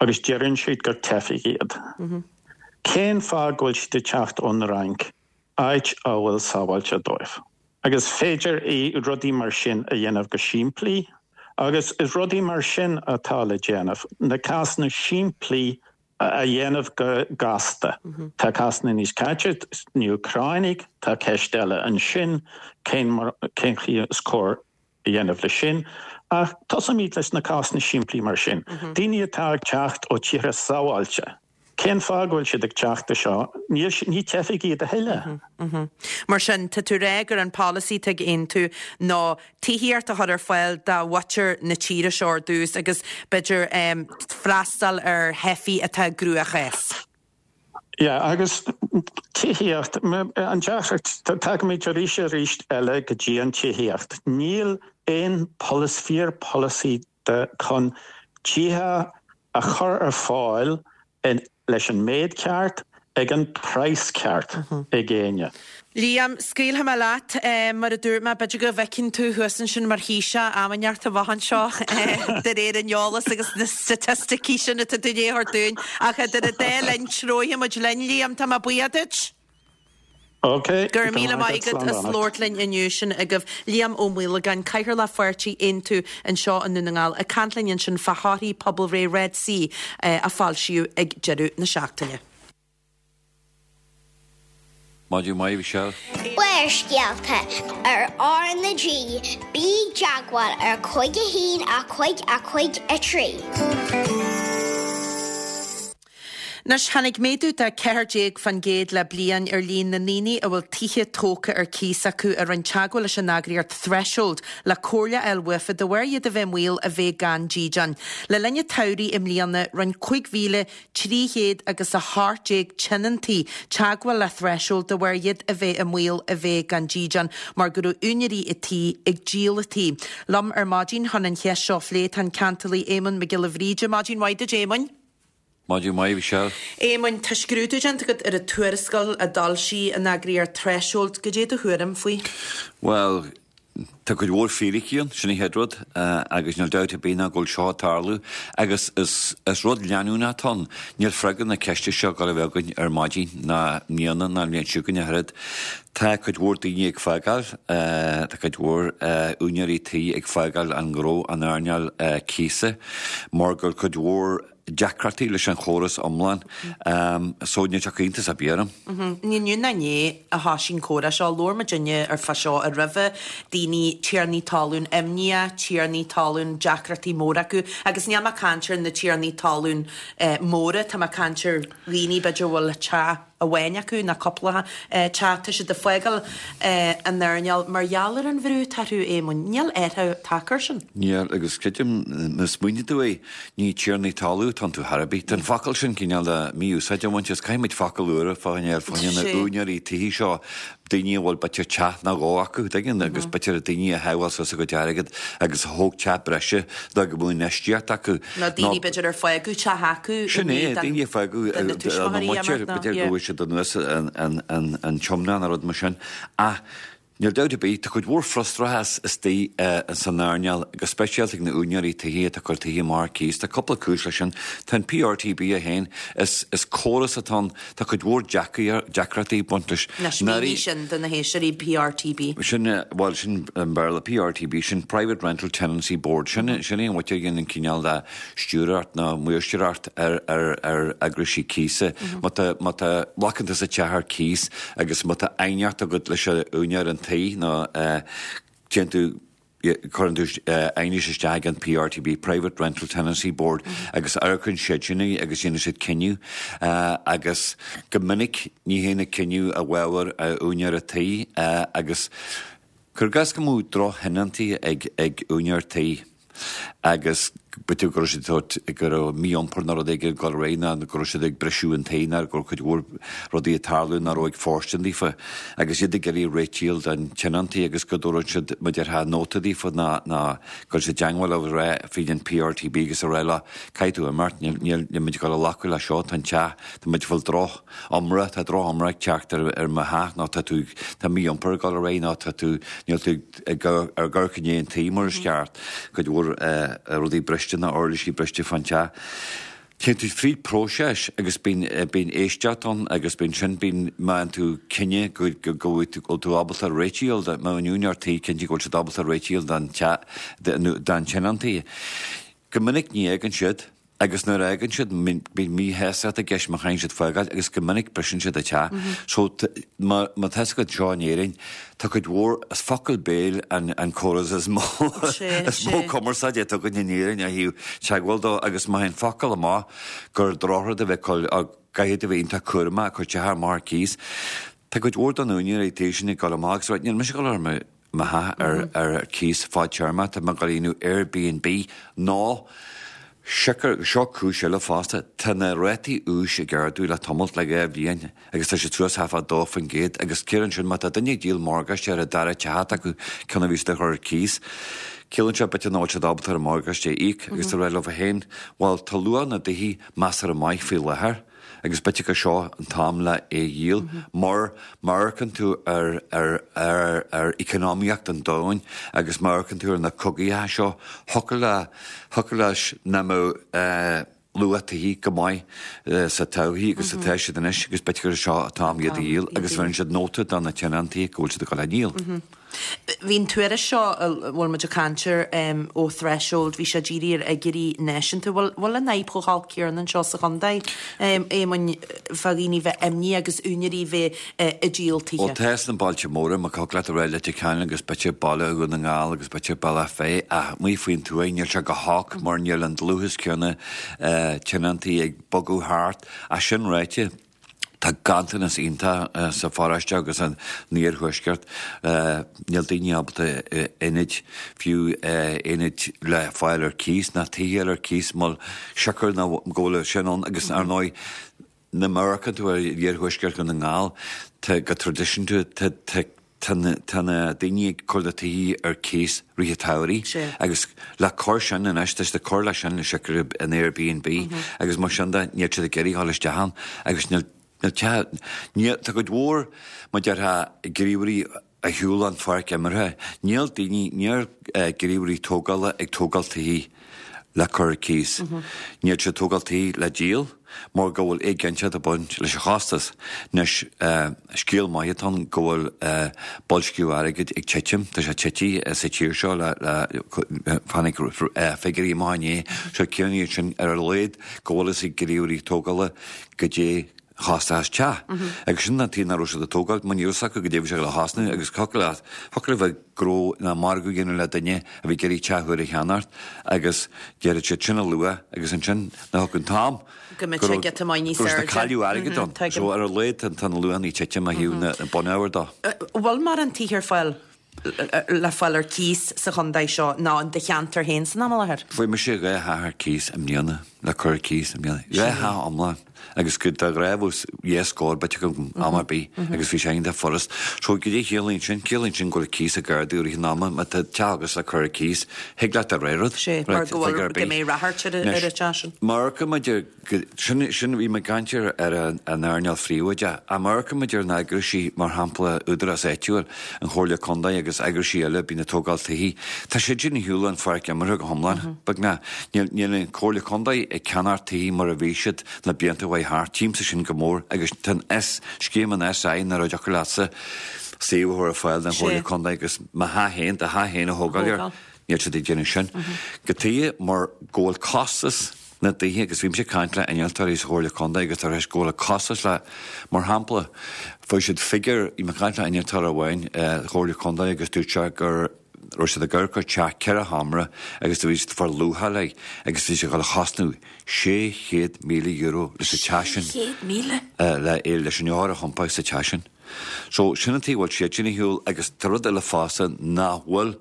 agus deireann siad gur teifigh iad, cén fáth go bhfuil siad ag teacht ón Fhrainc, áit a bhfuil sábháilte dóibh? Agus féidir rudaí mar sin a dhéanamh go simplí agus is rudaí mar sin atá le déanamh, na cásanna simplí a dhéanamh go gasta. Tá cásanna níos caite, na hÚcránaigh, tá ceist eile ansin, cén mar, cén chaoi is cóir a dhéanamh leis sin. Ach tosóimid leis na cásanna simplí mar sin. Daoine atá ag teacht ó tíortha sábháilte, cén fáth go bhfuil siad ag teacht anseo? Níl, ní teifigh iad a thuilleadh. Mar sin, tá tú ag rá gur an polasaí atá ag Aontú ná tithíocht a chur ar fáil do mhuintir na tíre seo ar dtús agus b'fhéidir freastal ar theifigh atá i gcruachás. Yeah, agus tithíocht, an deacracht, tagaimid arís arís eile go dtí an tithíocht. Níl aon polasaí, fíor polasaí de chun tithe a chur ar fáil leis an méid ceart ag an praghas ceart ag éinne. Liam, scaoilfidh mé leat. Mar a dúirt mé, b'fhéidir go bhfeicfinn tú thuas ansin mar Thaoiseach am inteacht amach anseo, de réir an eolas agus na staitisticí sin atá tú i ndiaidh a thabhairt dúinn. Ach idir an dá linn, treoirfidh muid linn, Liam. Tá mé buíoch duit. Ok, Go raibh míle maith agat as labhairt linn inniu. Sin agaibh Liam Ó Maolagáin, Cathaoirleach Pháirtí Aontú anseo i nDún na nGall, ag caint linn ansin fá thorthaí pobalbhreith Red C a foilsíodh ag deireadh na seachtaine. Maidin mhaith, Michelle. Barrscéalta ar R na G, bí i dteagmháil ar 5 1 5 5 3. Anois, tháinig méadú de 14% le bliain ar líon na ndaoine a bhfuil tithe tógtha ar cíos acu a rinne teagmháil leis an eagraíocht Threshold le comhairle a fháil uafa de bharr iad a bheith i mbaol a bheith gan dídean. Le linn an tsamhraidh i mbliana, rinne 5,300 agus 18 tionóntaí teagmháil le Threshold de bharr iad a bheith i mbaol a bheith gan dídean mar go raibh úinéirí a tí ag díol a tí. Liom ar maidin chun an cheist seo a phlé tá an Ceantálaí Éamonn Mac Giolla Bhríde. Maidin mhaith duit, Éamoinn. Maidin mhaith, Michelle. Éamoinn, tá scrúdú déanta agat ar an tuarascáil a d'fhoilsigh an eagraíocht Threshold. Goidé do thuairim faoi? Bhuel, tá cuid mhór fíricí ann, sin an chéad rud, agus níl dabht ar bith ná go bhfuil seo ag tarlú agus is is rud leanúnach atá ann. Níl freagra na ceiste seo ag gabháil a bheith againn ar maidin ná i mbliana ná an bhliain seo chugainn ach oiread. Tá cuid mhór daoine ag fágáil, tá cuid mhór úinéirí tí ag fágáil an ghnó, an earnáil cíosa mar go bhfuil cuid mhór deacrachtaí leis an chóras iomlán so níl sé iontas ar bith orm. Ní inniu ná inné a thoisigh an comhrá seo, labhair muidinne ar fá seo ar roimhe, daoine, tiarnaí talún imníoch, tiarnaí talún deacrachtaí móra acu agus níl mé ag caint ar na tiarnaí talún móra, tá mé ag caint ar dhaoine b'fhéidir a bhfuil teach amháin acu nó cúpla teach, tá siad ag fágáil an earnáil mar gheall ar an bhrú atá orthu, Éamoinn. Níl athrú tagtha air sin. Níl, agus creidim, má smaoiníonn tú é, ní tiarnaí talún atá iontu chor ar bith. Tá an focal sin cineál de mí-úsáid á bhaint as, caithfidh muid focal úr a fháil fá choinne na úinéirí tithe seo, daoine a bhfuil b'fhéidir teach nó dhó acu, tuigeann, agus b'fhéidir daoine a shábháil suas a gcuid airgid agus a thóg teach breise le go mbeadh infheistíocht acu. Nó daoine b'fhéidir ar fágadh teach acu i Sin é, daoine a fágadh na tuismitheoirí, b'fhéidir go bhfuair siad anuas an tiomna nó rud mar sin. Ach. Níl dabht ar bith, tá cuid mhór frustrachas istigh san earnáil, go speisialta ag na úinéirí tithe atá ag cur tithe amach ar cíos. Tá cúpla cúis leis sin. Tá an PRTB é féin, is is córas atá ann, tá cuid mhór deacrachtaí ag baint leis. Anois, mínigh sin do na héisteoirí, PRTB. Sin, bhuel, sin i mBéarla, PRTB, sin Private Rental Tenancy Board. Sin sin é an mhuintir a dhéanann cineál de stiúrthóireacht nó maoirseoireacht ar ar eagraisí cíosa. Má tá má tá glacann tusa teach ar cíos agus má tá aighneacht agat leis an úinéir an tí nó téann tú cuireann tú aighneas isteach ag an PRTB, Private Rental Tenancy Board, agus amharcann siad sin é agus déanann siad cinneadh agus go minic ní théann an cinneadh i bhfabhar úinéir an tí agus Cuir i gcás go mbeadh drochthionóntaí ag ag úinéir tí agus b'fhéidir go raibh siad ag tabhairt, go raibh mí-iompar nó rud éigin ag dul ar aghaidh nó go raibh siad ag briseadh an tí nó go raibh cuid mhór rudaí ag tarlú nach raibh ag fóirstean daofa agus iad ag iarraidh réitíl don tionóntaí agus go dtabharfadh siad mar a déarfá nóta daofa nó nó go raibh siad i dteangmháil leo a rá fríd an PRTB agus a rá leo caithfidh tú imeacht níl níl níl muid ag dul a ghlacadh le seo tá an teach tá muid ag fáil droch iomrá, tá droch-iomrá ag teacht ar mo theach nó tá tú, tá mí-iompar ag dul ar aghaidh nó tá tú, níl tú ag amharc i ndiaidh an tí mar is ceart, cuid mhór rudaí briste nó uirlisí briste fán teach. Téann tú fríd próiseas agus bíonn, bíonn éisteacht ann agus bíonn sin, bíonn, má fhaigheann tú cinneadh go, go, go bhfuil tú ábalta réitíl, má an úinéir tí cinnte go bhfuil siad ábalta réitíl don teach, don tionóntaí. Go minic ní fhágann siad. Agus nuair a fhágann siad, bíonn míshástacht i gceist má chaitheann siad fágáil agus go minic briseann siad an teach. So, má tá fhios agat anseo in Éirinn, tá cuid mhór, is focal béil an an córas is mó is mó cumarsáide atá againn in Éirinn ó thaobh teagmháil dó agus má théann focal amach gur drochrud a bheith ag cur, caithfidh tú a bheith iontach cúramach ag cur teach amach ar cíos. Tá cuid mhór de na úinéirí tí sin ag dul amach agus ag rá, níl mise ag dul ar mo mo theach ar ar cíos fadtéarmach, tá mé ag dul a dhéanamh Airbnb nó siocair, seo cúis eile fosta, tá na rátaí úis ag ardú le tamalt, le 2 bhliain, agus tá siad suas thart fá 2% agus ciallaíonn sin má tá duine ag díol morgáiste ar an dara teach atá acu, ceann a bhí siad a chur ar cíos, ciallaíonn sé b'fhéidir nach bhfuil siad ábalta ar an morgáiste a íoc agus tá rá leo féin, bhuel tá luach na dtithe measartha maith faoi láthair. agus b'fhéidir gur seo an t-am le é a dhíol mar má amharcann tú ar ar ar ar economaíocht an domhain agus má amharcann tú ar na cogaíocha seo thiocfadh le thiocfadh leis nach mbeadh luach tithe go maith sa todhchaí agus atá siad anois agus b'fhéidir gur seo an t-am iad a dhíol agus bheireann siad nóta do na tionóntaí go bhfuil siad ag dul á ndíol. Bhí an tuairisc seo a bhfuil muid ag caint air ó Threshold, bhí sé dírithe ar fhigiúirí náisiúnta. Bhfuil bhfuil an fhadhb chomh holc céanna anseo sa chontae, Éamoinn, fá dhaoine bheith imníoch agus úinéirí bheith ag díol tithe? Bhuel, tá sna bailte móra, mar thiocfadh leat a rá Leitir Ceanainn agus b'fhéidir baile Dhún na nGall agus b'fhéidir Bealach Féich ach amuigh faoin tuaith níl sé go holc mar níl an dlúthas céanna tionóntaí ag bogadh thart. Ach sin ráite, Tá ganntanas iontach sa pharóiste agus san iarthuaisceart. Níl daoine ábalta aonaid, fiú aonaid le fáil ar cíos, ná tithe ar cíos, mar siocair ná go bhfuil sin ann agus ar ndóigh má amharcann tú ar iarthuaisceart Dhún na nGall, tá go traidisiúnta tá tá Tá na daoine ag cur na tithe ar cíos rith an tsamhraidh agus le cur sin anois, tá siad ag cur leis sin siocair an Airbnb agus mar sin de, níl siad ag iarraidh dhul isteach ann agus níl, níl teach, níl, tá cuid mhór, mar déarfá, gníomhairí ar shiúl an pháirc imeartha, níl daoine, níl gníomhairí tógála ag tógáil tithe le cur ar cíos. Níl siad ag tógáil tithe le díol mar go bhfuil éiginnteacht ag baint leis an chostas. Anois, scéal maith atá ann go bhfuil boilsciú airgid ag titim, tá sé tite sa tír seo le, tháinig figiúirí amach inné, so ciallaíonn sin ar a laghad go bhfuil fhios ag gníomhairí tógála goidé chostas teach. Agus sin an tuige nach raibh siad ag tógáil, mar ní raibh fhios acu goidé bhí sé le thosnú agus thiocfadh leat, thiocfadh le bheith gnó ná margadh a dhéanamh le duine a bhí ag iarraidh teach úr a cheannacht agus déarfadh siad sin an luach agus ansin nuair a thiocfadh an t-am go mbeadh sé giota maith níos go raibh siad ag cailleadh airgid ann. So ar a laghad tá na luachanna ag titim ó thaobh na bunábhair de. Bhfuil mórán tithe ar fáil le fáil ar cíos sa chontae seo nó in do cheantar féin san am i láthair? Fuair mise 2 theach ar cíos i mbliana, le cur ar cíos i mbliana. 2 theach iomlán. Agus go de ghnáth bheadh dhá scór b'fhéidir agam am ar bith agus bhí sé iontach furast. So goidé chiallaíonn sin? Ciallaíonn sin go bhfuil cíos ag ardú i rith an ama. Má tá teach agatsa le cur ar cíos, thig leat do rogha rud. Sé, mar go bhfuil, go mbeidh ráchairt ar an teach sin. Má amharcann muid ar, sin, sin, bhí mé ag caint ar, ar an earnáil phríobháideach. Ach má amharcann muid ar na eagraisí, mar shampla Údarás Áitiúil, an Chomhairle Contae agus eagraisí eile a bíonn ag tógáil tithí, tá siad sin ar shiúl ón pháirc imeartha go hiomlán, beagnach. Níl, níl an Chomhairle Contae ag ceannacht tithí mar a bhí siad na blianta a chuaigh thart. Tchímse sin go mór agus tá an S, scéim an SI nach raibh deacair leatsa suíomh a chur ar fáil don Chomhairle Contae agus mo theach féin, do theach féin a thógáil air. Níl siad ag déanamh sin. Cad tuige mar go bhfuil costas na dtithe agus bhímse ag caint le innealtóirí sa Chomhairle Contae agus tar éis go bhfuil costas le, mar shampla, fuair siad figiúr, bhí mé ag caint le innealtóir amháin sa Chomhairle Contae agus dúirt sé go raibh siad ag amharc ar teach ceithre sheomra agus do bhí siad ag fáil luacháil air agus bhí sé ag dul a chosnú €600,000 leis an teach sin. 600,000? Le, leis an eochair a thiompáil sa teach sin. So, sin an tuige a bhfuil siad sin ar shiúl agus tá rud eile fosta nach bhfuil,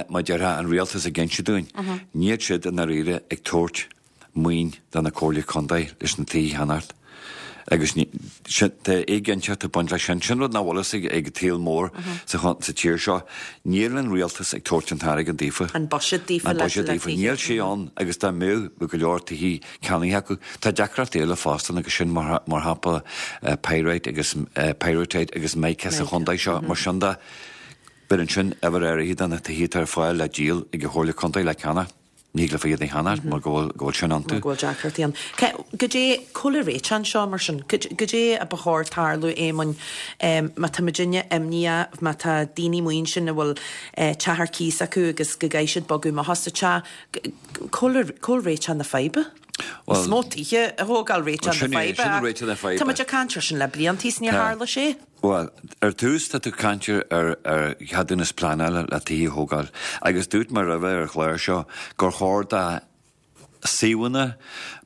mar déarfá, an rialtas ag inse dúinn. Níl siad i ndáiríre ag tabhairt maoin do na comhairlí contae leis na tithe a cheannacht. Agus tá éiginnteacht ag baint leis sin. Sin rud nach bhfuil fhios ag an tsaol mór sa tír seo. Níl an rialtas ag tabhairt an t-airgead daofa. An buiséad daofa An buiséad daofa. Níl sé ann agus dá mbeadh, bheadh go leor tithe ceannaithe acu. Tá deacrachtaí eile fosta agus sin mar shampla pyrite agus pyrrhotite agus mica sa chontae seo. Mar sin de, beireann sin uimhir áirithe de na tithe atá ar fáil le díol ag an Chomhairle Contae le ceannach. Ní thig leofa iad a cheannacht mar go bhfuil go bhfuil sin iontu. Mar go bhfuil deacrachtaí ann. Goidé, cá bhfuil an réiteach anseo mar sin? Goidé a ba chóir tarlú, Éamoinn, má tá muidinne imníoch, má tá daoine amuigh ansin a bhfuil teach ar cíos acu agus go gcaithfidh siad bogadh amach as an teach, cá bhfuil réiteach na faidhbe? Is mó tithe a thógáil réiteach na faidhbe ach tá muid ag caint air sin le blianta is níor tharla sé. Bhuel, ar tús tá tú ag caint ar cheadúnas pleanála le tithe a thógáil agus dúirt mé roimhe ar an chlár seo gur chóir do suíomhanna,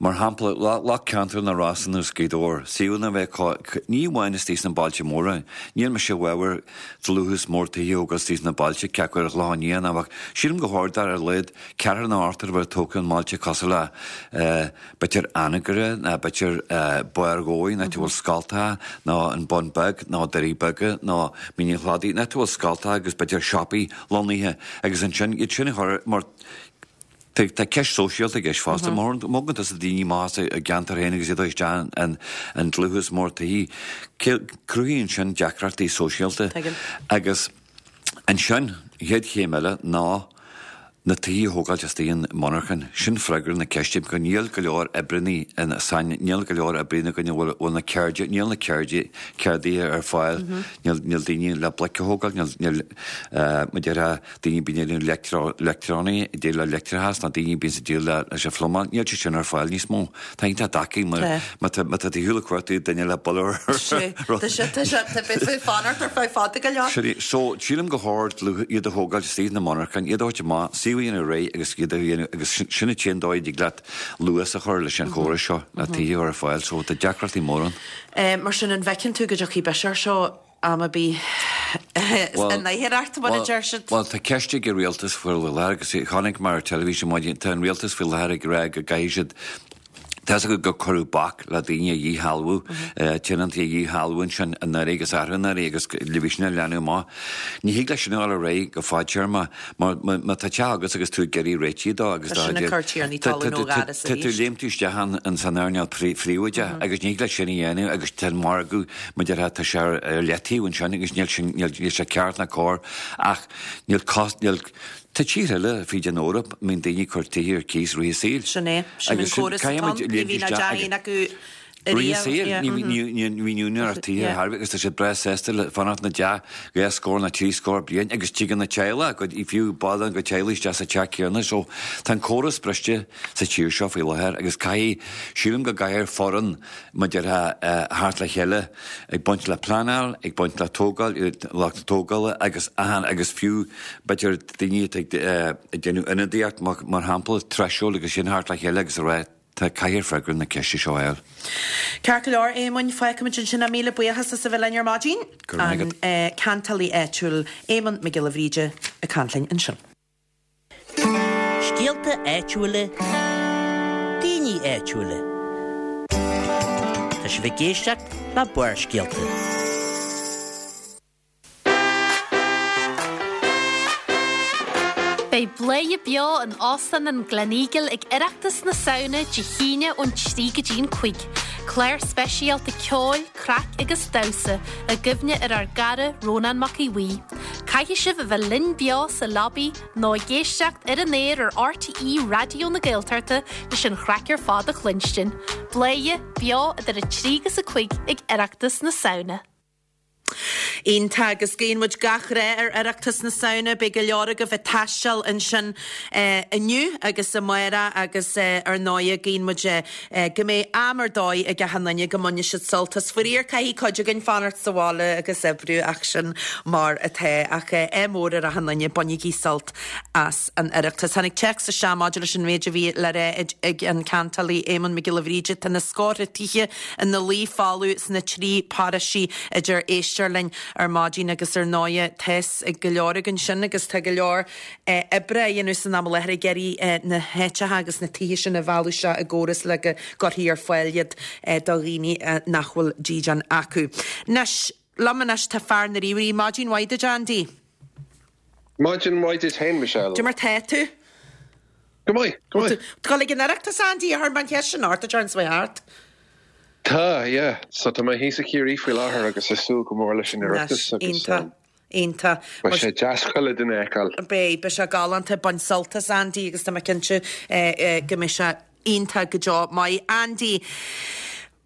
mar shampla lucht ceantar na Rosann nó Gaoth Dobhair, suíomhanna a bheith acu, ní amháin istigh sna bailte móra, níl mise i bhfabhar dlúthas mór tithe a thógáil istigh sna bailte, cé acu ar an Chlochán Liath nó ach sílim gur chóir do ar a laghad ceathrar nó ochtar a bheith tógtha i mbailte cosúil le b'fhéidir Anagaire nó b'fhéidir Barr Dhóigh, an áit a bhfuil scoltacha, nó an Bun Beag nó Doirí Beaga nó Mín an Chladaigh, an áit a bhfuil scoltacha agus b'fhéidir siopaí lonnaithe agus ansin iad sin a chur mar tá tá ceist sóisialta i gceist fosta. Má thugann tusa daoine amach as a gceantar féin agus iad a isteach in in dlúthas mór tithe, cruthaíonn sin deacrachtaí sóisialta agus Ansin, an chéad chéim eile ná na tithe a thógáilt istigh i monarchain. Sin freagra na ceiste, go níl go leor oibreanna in sain, níl go leor oibreanna againn a bhfuil, bhfuil na ceirde, níl na ceirde, ceardaithe ar fáil, níl, níl daoine le bloic a thógáil, níl, níl, mar a déarfá, daoine a bíonn ag déanamh leictreó, leictreonaí, ag déileáil le leictreachas nó daoine a bíonn ag déileáil le, leis an phluimeáil, níl sé sin ar fáil níos mó. Tá iontach deacair mar má tá má tá tú ar shiúl ag cuartú duine le buille ar Sé, tá sé, tá sé, tá beidh tú ag fanacht ar feadh fada go leor. Sin é. So, sílim gur chóir dlúth iad a thógáil istigh sna monarchain, iad a thabhairt amach, suíomh a dhéanamh réidh agus iad a dhéanamh agus sin sin an t-aon dóigh a dtig leat luas a chur leis an chóras seo le tithe a chur ar fáil. So, tá deacrachtaí móra ann. Mar sin, an bhfeiceann tú go dtiocfaidh biseach air seo am ar bith in oidhreacht, mar a deir siad? Bhuel, tá ceist ag an rialtas faoi láthair agus chonaic mé ar teilifís ar maidin, tá an rialtas faoi láthair ag rá go gcaithfidh siad, tá fhios agat gur cuireadh bac le daoine a dhíshealbhú, tionóntaí a dhíshealbhú ansin anuraidh agus arú anuraidh agus le bhí sin ag leanadh amach. Ní thig leis sin a dhul ar aghaidh go fadtéarma mar má tá teach agat agus tú ag iarraidh réitigh dó agus Tá sin ag cur tiarnaí talún ó dhoras tá tú arís. léim tú isteach in san earnáil phríobháideach agus ní thig leat sin a dhéanamh agus tá an margadh Mar a déarfá tá sé ar leataobh ansin agus níl sin, níl sé ceart ná cóir ach níl cos, níl, tá tíortha eile fríd an Eoraip a mbíonn daoine ag cur tithe ar cíos rith a saoil. Sin é, sin an córas atá ann, ní bhíonn ach teach acu Rith a saoil, ní bhíonn úinéireacht tithe ar chor ar bith agus tá siad breá sásta le fanacht ina dteach dhá scór nó trí scór bliain agus tigeann na teaghlaigh, fiú baill den teaghlach isteach sa teach céanna so tá an córas briste sa tír seo faoi láthair agus caithfidh, sílim go gcaithfear foireann mar a déarfá theacht le chéile ag baint le pleanáil, ag baint le tógáil, lucht tógála agus achan, agus fiú b'fhéidir daoine atá ag déanamh ionadaíocht mar shampla, Threshold agus sin theacht le chéile agus a rá tá caithfear freagra na ceiste seo a fháil. Ceart go leor, Éamoinn, fágfaimid ansin é. Míle buíochas as a bheith linn ar maidin. Go raibh maith agat. An ceantálaí áitiúil Éamonn Mac Giolla Bhríde ag caint linn ansin. Scéalta áitiúla, daoine áitiúla. sibh ag éisteacht le Barrscéalta. Beidh Bladhaire Beo in Óstán an Gleneagle ag Oireachtas na Samhna Dé hAoine ón 3 go dtí an 5. Clár speisialta ceoil, craic agus damhsa i gcuimhne ar ár gcara Rónán Mac Aodha Bhuí. Caithfidh sibh a bheith linn beo sa lobby nó ag éisteacht ar an aer ar RTÉ Raidió na Gaeltachta leis an chraic ar fad a chluinstin. Bladhaire Beo idir 3 agus 5 ag Oireachtas na Samhna. Iontach, agus guíonn muid gach rath ar Oireachtas na Samhna. Beidh go leor agaibh ag taisteal ansin inniu agus amárach agus ar ndóighe guíonn muid go mbeidh am ar dóigh ag achan duine, go mbainfidh siad sult as. Faraor caithfidh cuid againn fanacht sa bhaile agus oibriú ach sin mar atá. Ach ádh mór ar achan duine, bainigí sult as an Oireachtas. Tháinig téacs isteach maidir leis an mhéid a bhí le rá ag an ceantálaí Éamonn Mac Giolla Bhríde, Tá na scórtha tithe ina luí folamh sna trí paróistí a deir éisteoir linn ar maidin agus ar ndóighe tá's ag go leor againn sin agus tá go leor oibre á dhéanamh san am i láthair ag iarraidh na háiteacha agus na tithe sin a mhealladh isteach i gcóras le go gcuirfí ar fáil iad do dhaoine nach bhfuil dídean acu. Anois, liom anois tá fear na ríomhairí. Maidin mhaith duit, Andy. Maidin mhaith duit féin, Michelle. Cad é mar tá tú? Go maith, go maith. Tú ag dul ag an Oireachtas, Andy, a chuir mé an cheist sin ort, a deir an Sweetheart. Tá, yeah. So tá mé thíos i Ciarraí faoi láthair agus ag súil go mór leis an Oireachtas agus Iontach, iontach. Beidh sé deas chuile duine a fheiceáil. Beidh, beidh sé galánta. Bain sult as, Andy, agus tá mé cinnte go mbeidh sé iontach go deo. Maith, Andy.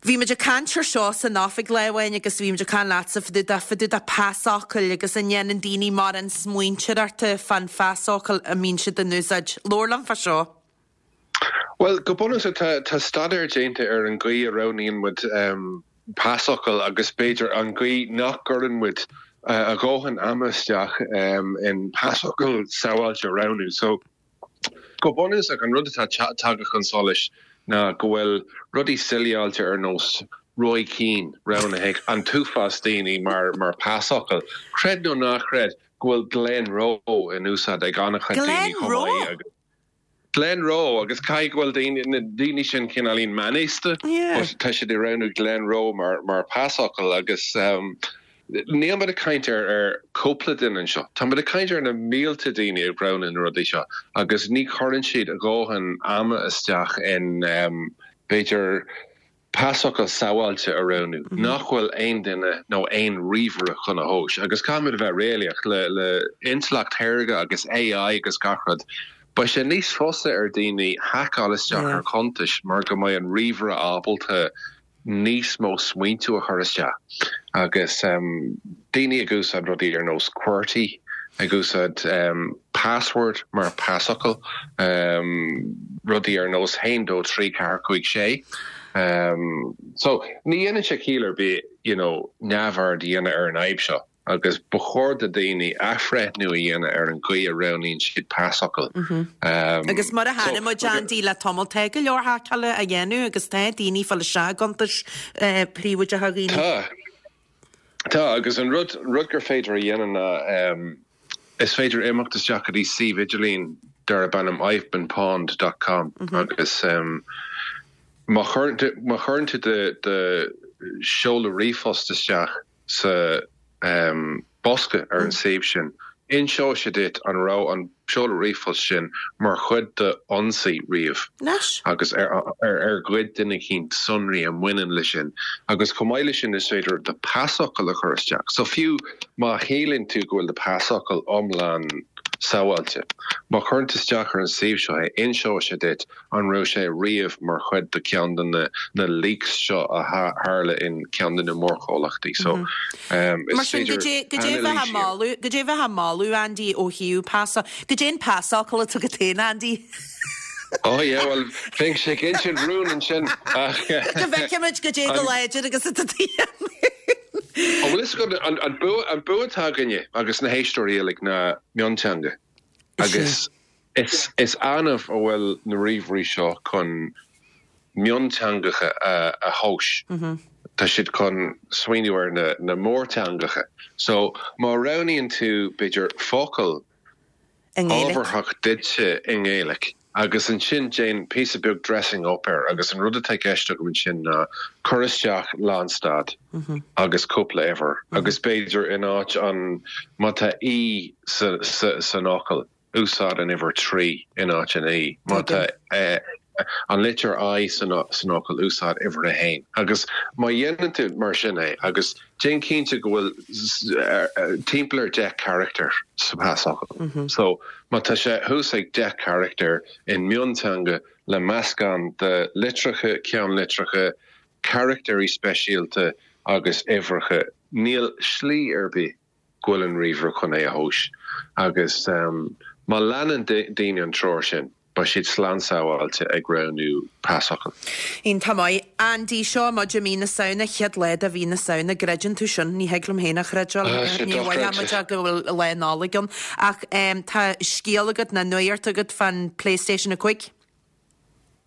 Bhí muid ag caint ar seo san oifig lá amháin agus bhí muid ag caint leatsa fá dtaobh de, fá dtaobh de pasfhocail agus an ndéanann daoine mórán smaointeoireachta fán phasfhocal a mbíonn siad in úsáid. Labhair liom fá seo. Bhuel, go bunúsach tá, tá staidéar déanta ar an gcaoi a roghnaíonn muid pasfhocal agus b'fhéidir an gcaoi nach gcuireann muid a dhóthain ama isteach in pasfhocal sábháilte a roghnú. So. Go bunúsach, an rud atá tagtha chun solais ná go bhfuil rudaí suileáilte ar nós Roy Keane roghnaithe ag an t-uafás daoine mar mar pasfhocal. Creid nó ná creid go bhfuil Glenroe in úsáid ag an-chuid daoine chomh maith agus. Glenroe agus caithfidh go bhfuil daoine, na daoine sin cineáilín meánaosta but tá siad ag roghnú Glenroe mar mar pasfhocal agus. Níl muid ag caint ar ar cúpla duine anseo. Tá muid ag caint ar na mílte daoine ag roghnú na rudaí seo agus ní chuireann siad a dhóthain ama isteach in b'fhéidir pasfhocal sábháilte a roghnú nach bhfuil aon duine nó aon ríomhaire chun a thomhais. Agus caithfimid a bheith réalaíoch, le le intleacht shaorga agus AI agus gach rud, beidh sé níos fusa ar daoine haiceáil isteach ar chuntais mar go mbeidh an ríomhaire ábalta níos mó smaointiú a chur isteach agus daoine ag úsáid rudaí ar nós QWERTY, ag úsáid password mar pasfhocal, rudaí ar nós haon dó trí ceathair cúig sé. So ní dhéanann sé ciall ar bith you know neamhaird a dhéanamh ar an fhadhb seo. agus ba chóir do dhaoine athbhreithniú a dhéanamh ar an gcaoi a roghnaíonn siad pasfhocal. Agus mar a chonaic muid, Andy, le tamall, tá go leor haiceála á dhéanamh agus tá daoine ag fáil isteach i gcuntais príobháideacha dhaoine. Tá. Tá, agus an rud, rud gur féidir a dhéanamh ná is féidir imeacht isteach go dtí suíomh idirlín darb ainm ivebeenpwned dot com agus má chuireann tú do sheoladh ríomhphost isteach, sa bosca ar an suíomh sin, inseoidh sé duit an raibh an seoladh ríomhphost sin mar chuid d'ionsaí riamh agus ar ghoid duine eicínt sonraí a mbaineann leis sin. Agus chomh maith leis sin is féidir do pasfhocal a chur isteach. So fiú má shíleann tú go bhfuil do pasfhocal iomlán sábháilte, má chuireann tú isteach ar an suíomh seo é, inseoidh sé duit An raibh sé riamh mar chuid de ceann de na leaks seo a tharla in ceann de na mórchomhlachtaí? So, is Mar sin, féidir goidé a bheifeá ag moladh, goidé a bheifeá ag moladh, Andy, ó thaobh pas, goidé an pasfhocal atá agat féin, Andy? Oh yeah, bhuel, bheinnse ag insint rún ansin ach. Go bhfeicfimid goidé chomh láidir agus atá tú féin. An bhfuil fhios agat, an bua, an bua atá againne agus na héisteoirí uilig ná mionteanga agus Is annamh a bhfuil na ríomhairí seo chun mionteangacha a thomhas. Tá siad chun smaoineamh ar na mórteangacha. So, má roghnaíonn tú, b'fhéidir, focal ábharthach duitse i nGaeilic. Agus ansin déan píosa beag dressing up air agus an rud atá i gceist agam ansin ná cuir isteach lánstad agus cúpla uimhir agus b'fhéidir in áit an, má tá E sa, sa, san fhocal, úsáid an uimhir 3 in áit an E. Má tá an litir I san fhocal, úsáid uimhir 1. Agus má dhéanann tú mar sin é agus déan cinnte go bhfuil timpeall ar 10 charachtar sa phasfhocal. So má tá sé thuas ag 10 charachtar in mionteanga le meascán de litreacha, ceannlitreacha, carachtairí speisialta agus uimhreacha, níl slí ar bith go bhfuil an ríomhaire chun é a thomhas agus má leanann daoine an treoir sin, beidh siad slán sábháilte ag roghnú pasfhocail. Iontach maith. Andy, seo muid i mí na Samhna, chéad lá de mhí na Samhna, gcreideann tú sin? Ní thig liom féin a chreidbheáil. Ní mhothaíonn muid go bhfuil lá Nollag ann. Ach tá scéal agat, nó nuacht agat fán PlayStation 5?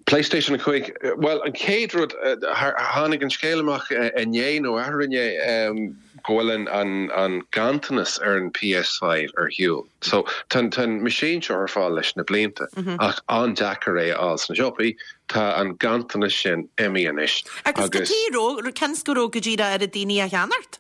PlayStation 5, bhuel, an chéad rud, tháinig an scéal amach inné nó arú-inné go bhfuil an ganntanas ar an PS5 ar shiúl. So, tá an machine seo ar fáil leis na blianta, ach an-deacair é a fháil sna siopaí. Tá an ganntanas sin imithe anois. Agus cad chuige a raibh, cionn is go raibh go díreach oiread daoine á cheannacht?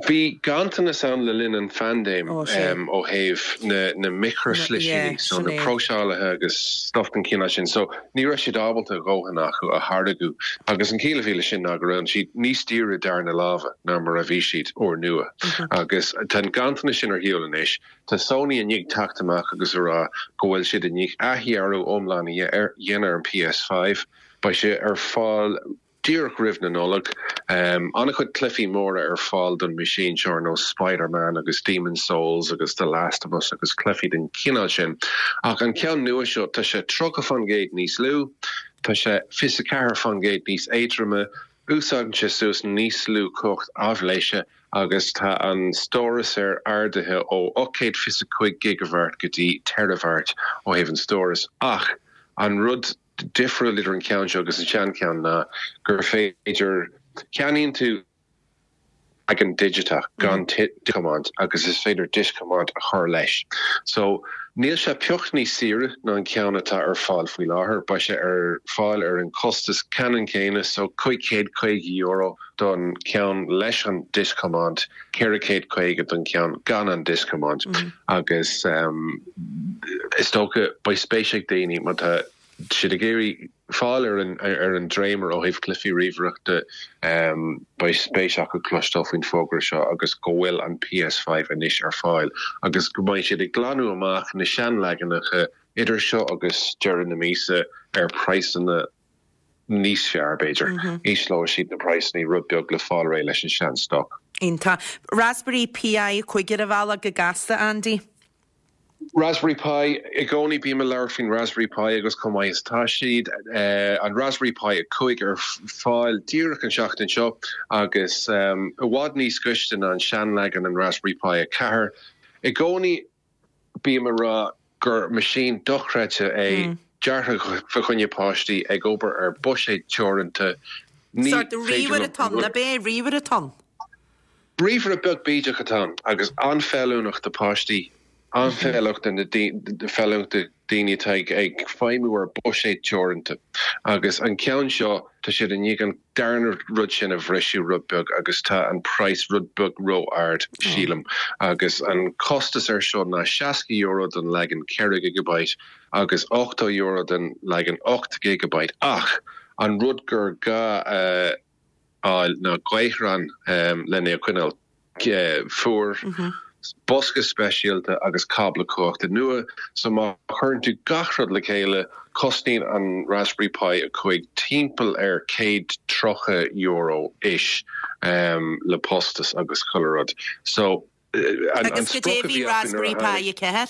Bhí ganntanas ann le linn an phaindéim ó thaobh na micreashlisíní, so na próiseálaithe agus stuff den chineál sin. So ní raibh siad ábalta a dhóthain acu a tháirgeadh agus an chiall a bhí leis sin ná go raibh siad níos daoire darna láimhe ná mar a bhí siad úrnua. Agus tá an ganntanas sin ar shiúl anois. Tá Sony i ndiaidh teacht amach agus a rá go bhfuil siad i ndiaidh athdhearadh iomlán a dhéanamh ar an PS5. Beidh sé ar fáil Díreach roimh na Nollag. An-chuid cluichí móra ar fáil don machine seo ar nós Spider-Man agus Demon's Souls agus The Last of Us agus cluichí den chineál sin. Ach an ceann nua seo, tá sé 30% níos lú, tá sé 24% níos éadroime, úsáideann sé suas níos lú cumhacht aibhléise agus tá an stóras air ardaithe ó 825 gigabhairt go dtí teireabhairt ó thaobh an stórais. Ach an rud difriúil idir an ceann seo agus an seancheann ná gur féidir, ceannaíonn tú leagan digiteach gan discthiomáint agus is féidir discthiomáint a chur leis. So, níl sé pioc níos saoire ná an ceann atá ar fáil faoi láthair, beidh sé ar fáil ar an costas ceannann céanna, so €550 don cheann leis an discthiomáint, 450 don cheann gan an discthiomáint agus is dócha beidh spéis ag daoine má tá siad ag iarraidh fáil ar an ar an dréimire ó thaobh cluichí ríomhaireachta beidh spéis acu cloisteáil faoin bhfógra seo agus go bhfuil an PS5 anois ar fáil agus go mbeidh siad ag glanadh amach na seanleaganacha idir seo agus deireadh na míosa ar praghsanna níos fearr, b'fhéidir. Ísleoidh siad na praghsanna rud beag le fáil réidh leis an sean-stoc. Iontach. Raspberry PI 5 ar an bhealach go gasta, Andy. Raspberry Pi, I gcónaí bím ag labhairt faoin Raspberry Pi agus chomh maith is atá siad. An Raspberry Pi 5 ar fáil díreach an seachtain seo agus i bhfad níos gaiste ná an seanleagan an Raspberry Pi 4. I gcónaí Bím ag rá gur machine dochreidte é, deartha fa choinne páistí, ag obair ar buiséad teoranta. Ní Sórt féidir ríomhaire liom atá ann, ab é? Ríomhaire atá ann? Ríomhaire beag bídeach atá ann agus an-fheiliúnach do páistí, an-fheiliúnach do na feiliúnach do daoine atá ag feidhmiú ar buiséad teoranta. Agus an ceann seo, tá siad i ndiaidh an darna rud sin a bhriseadh rud beag agus tá an praghas rud beag ró-ard, sílim. Agus an costas air seo ná €60 don leagan 4 gigabyte agus €80 don leagan 8 gigabyte. Ach an rud gur gá a fháil ná gaothrán lena é a choinneáil. fuar, bosca speisialta agus cábla cumhachta nua. So má chuireann tú gach rud le chéile, cosnaíonn an Raspberry Pi 5 timpeall ar €130 ish le postas agus chuile rud. So an Agus cad é sprioc a bhí acu nuair a Raspberry Pi 4?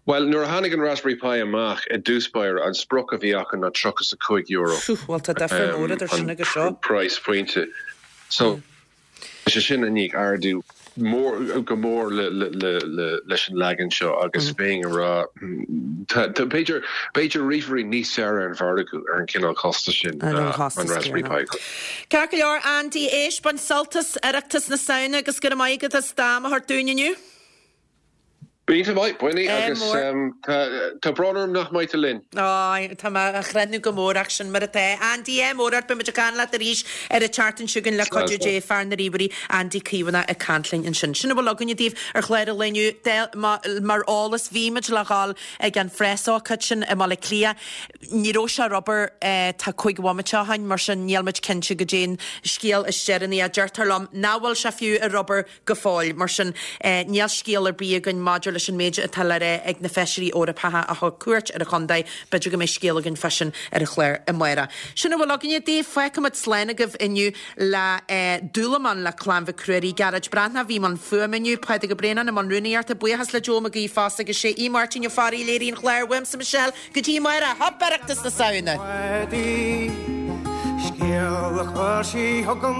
Bhuel, nuair a tháinig an Raspberry Pi amach i dtús báire, an sprioc a bhí acu ná €35. Phew, bhuel tá difear mór idir sin agus seo. An price pointe. So, tá sé sin i ndiaidh ardú mór, go mór leis an leagan seo agus bheinn ag rá, tá, b'fhéidir, b'fhéidir ríomhairí níos fearr ar an mhargadh ar an cineál costais sin ná an Raspberry Pi. Ceart go leor, Andy, éist, bain sult as Oireachtas na Samhna agus go raibh maith agat as d'am a thabhairt dúinn inniu. Bíonn maith, Winnie, agus tá brón orm nach mbeidh tú linn. Á, tá mé á chreidiúint go mór ach sin mar atá. Andy, ádh mór ort, beidh muid ag caint leat arís ar an tseachtain seo chugainn le cuidiú Dé, fear na ríomhairí, Andy Caomhánach ag caint linn ansin. Sin a bhfuil againne daoibh ar chlár an lae inniu. Mar eolas, bhí muid le dhul ag an phreasócáid sin i mBaile Átha Cliath. Ní raibh sé ar obair tá 5 bhomaite ó shin, mar sin níl muid cinnte goidé an scéal is deireanaí. Deirtear liom nach bhfuil sé fiú ar obair go fóill. Mar sin, níl scéal ar bith againn maidir leis an méid atá le rá ag na Feisirí Eorpacha a thug cuairt ar an chontae. B'fhéidir go mbeidh scéal againn fá sin ar an chlár amárach. Sin a bhfuil againne daoibh. Fágfaimid slán agaibh inniu le Dúlamán le Clann Mhic Ruairí. Gearóid Breathnach a bhí i mbun fuaime inniu, Pádraig Ó Braonáin i mbun rúnaíochta. Buíochas le Joe Mac Aoidh fosta agus sé í Máirtín Ó Fearraigh a léirigh an clár. Uaimse Michelle. Go dtí amárach, Hop Oireachtas na Samhna! Scéal a chuir sí chugam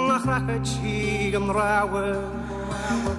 nach rachadh sí an rogha.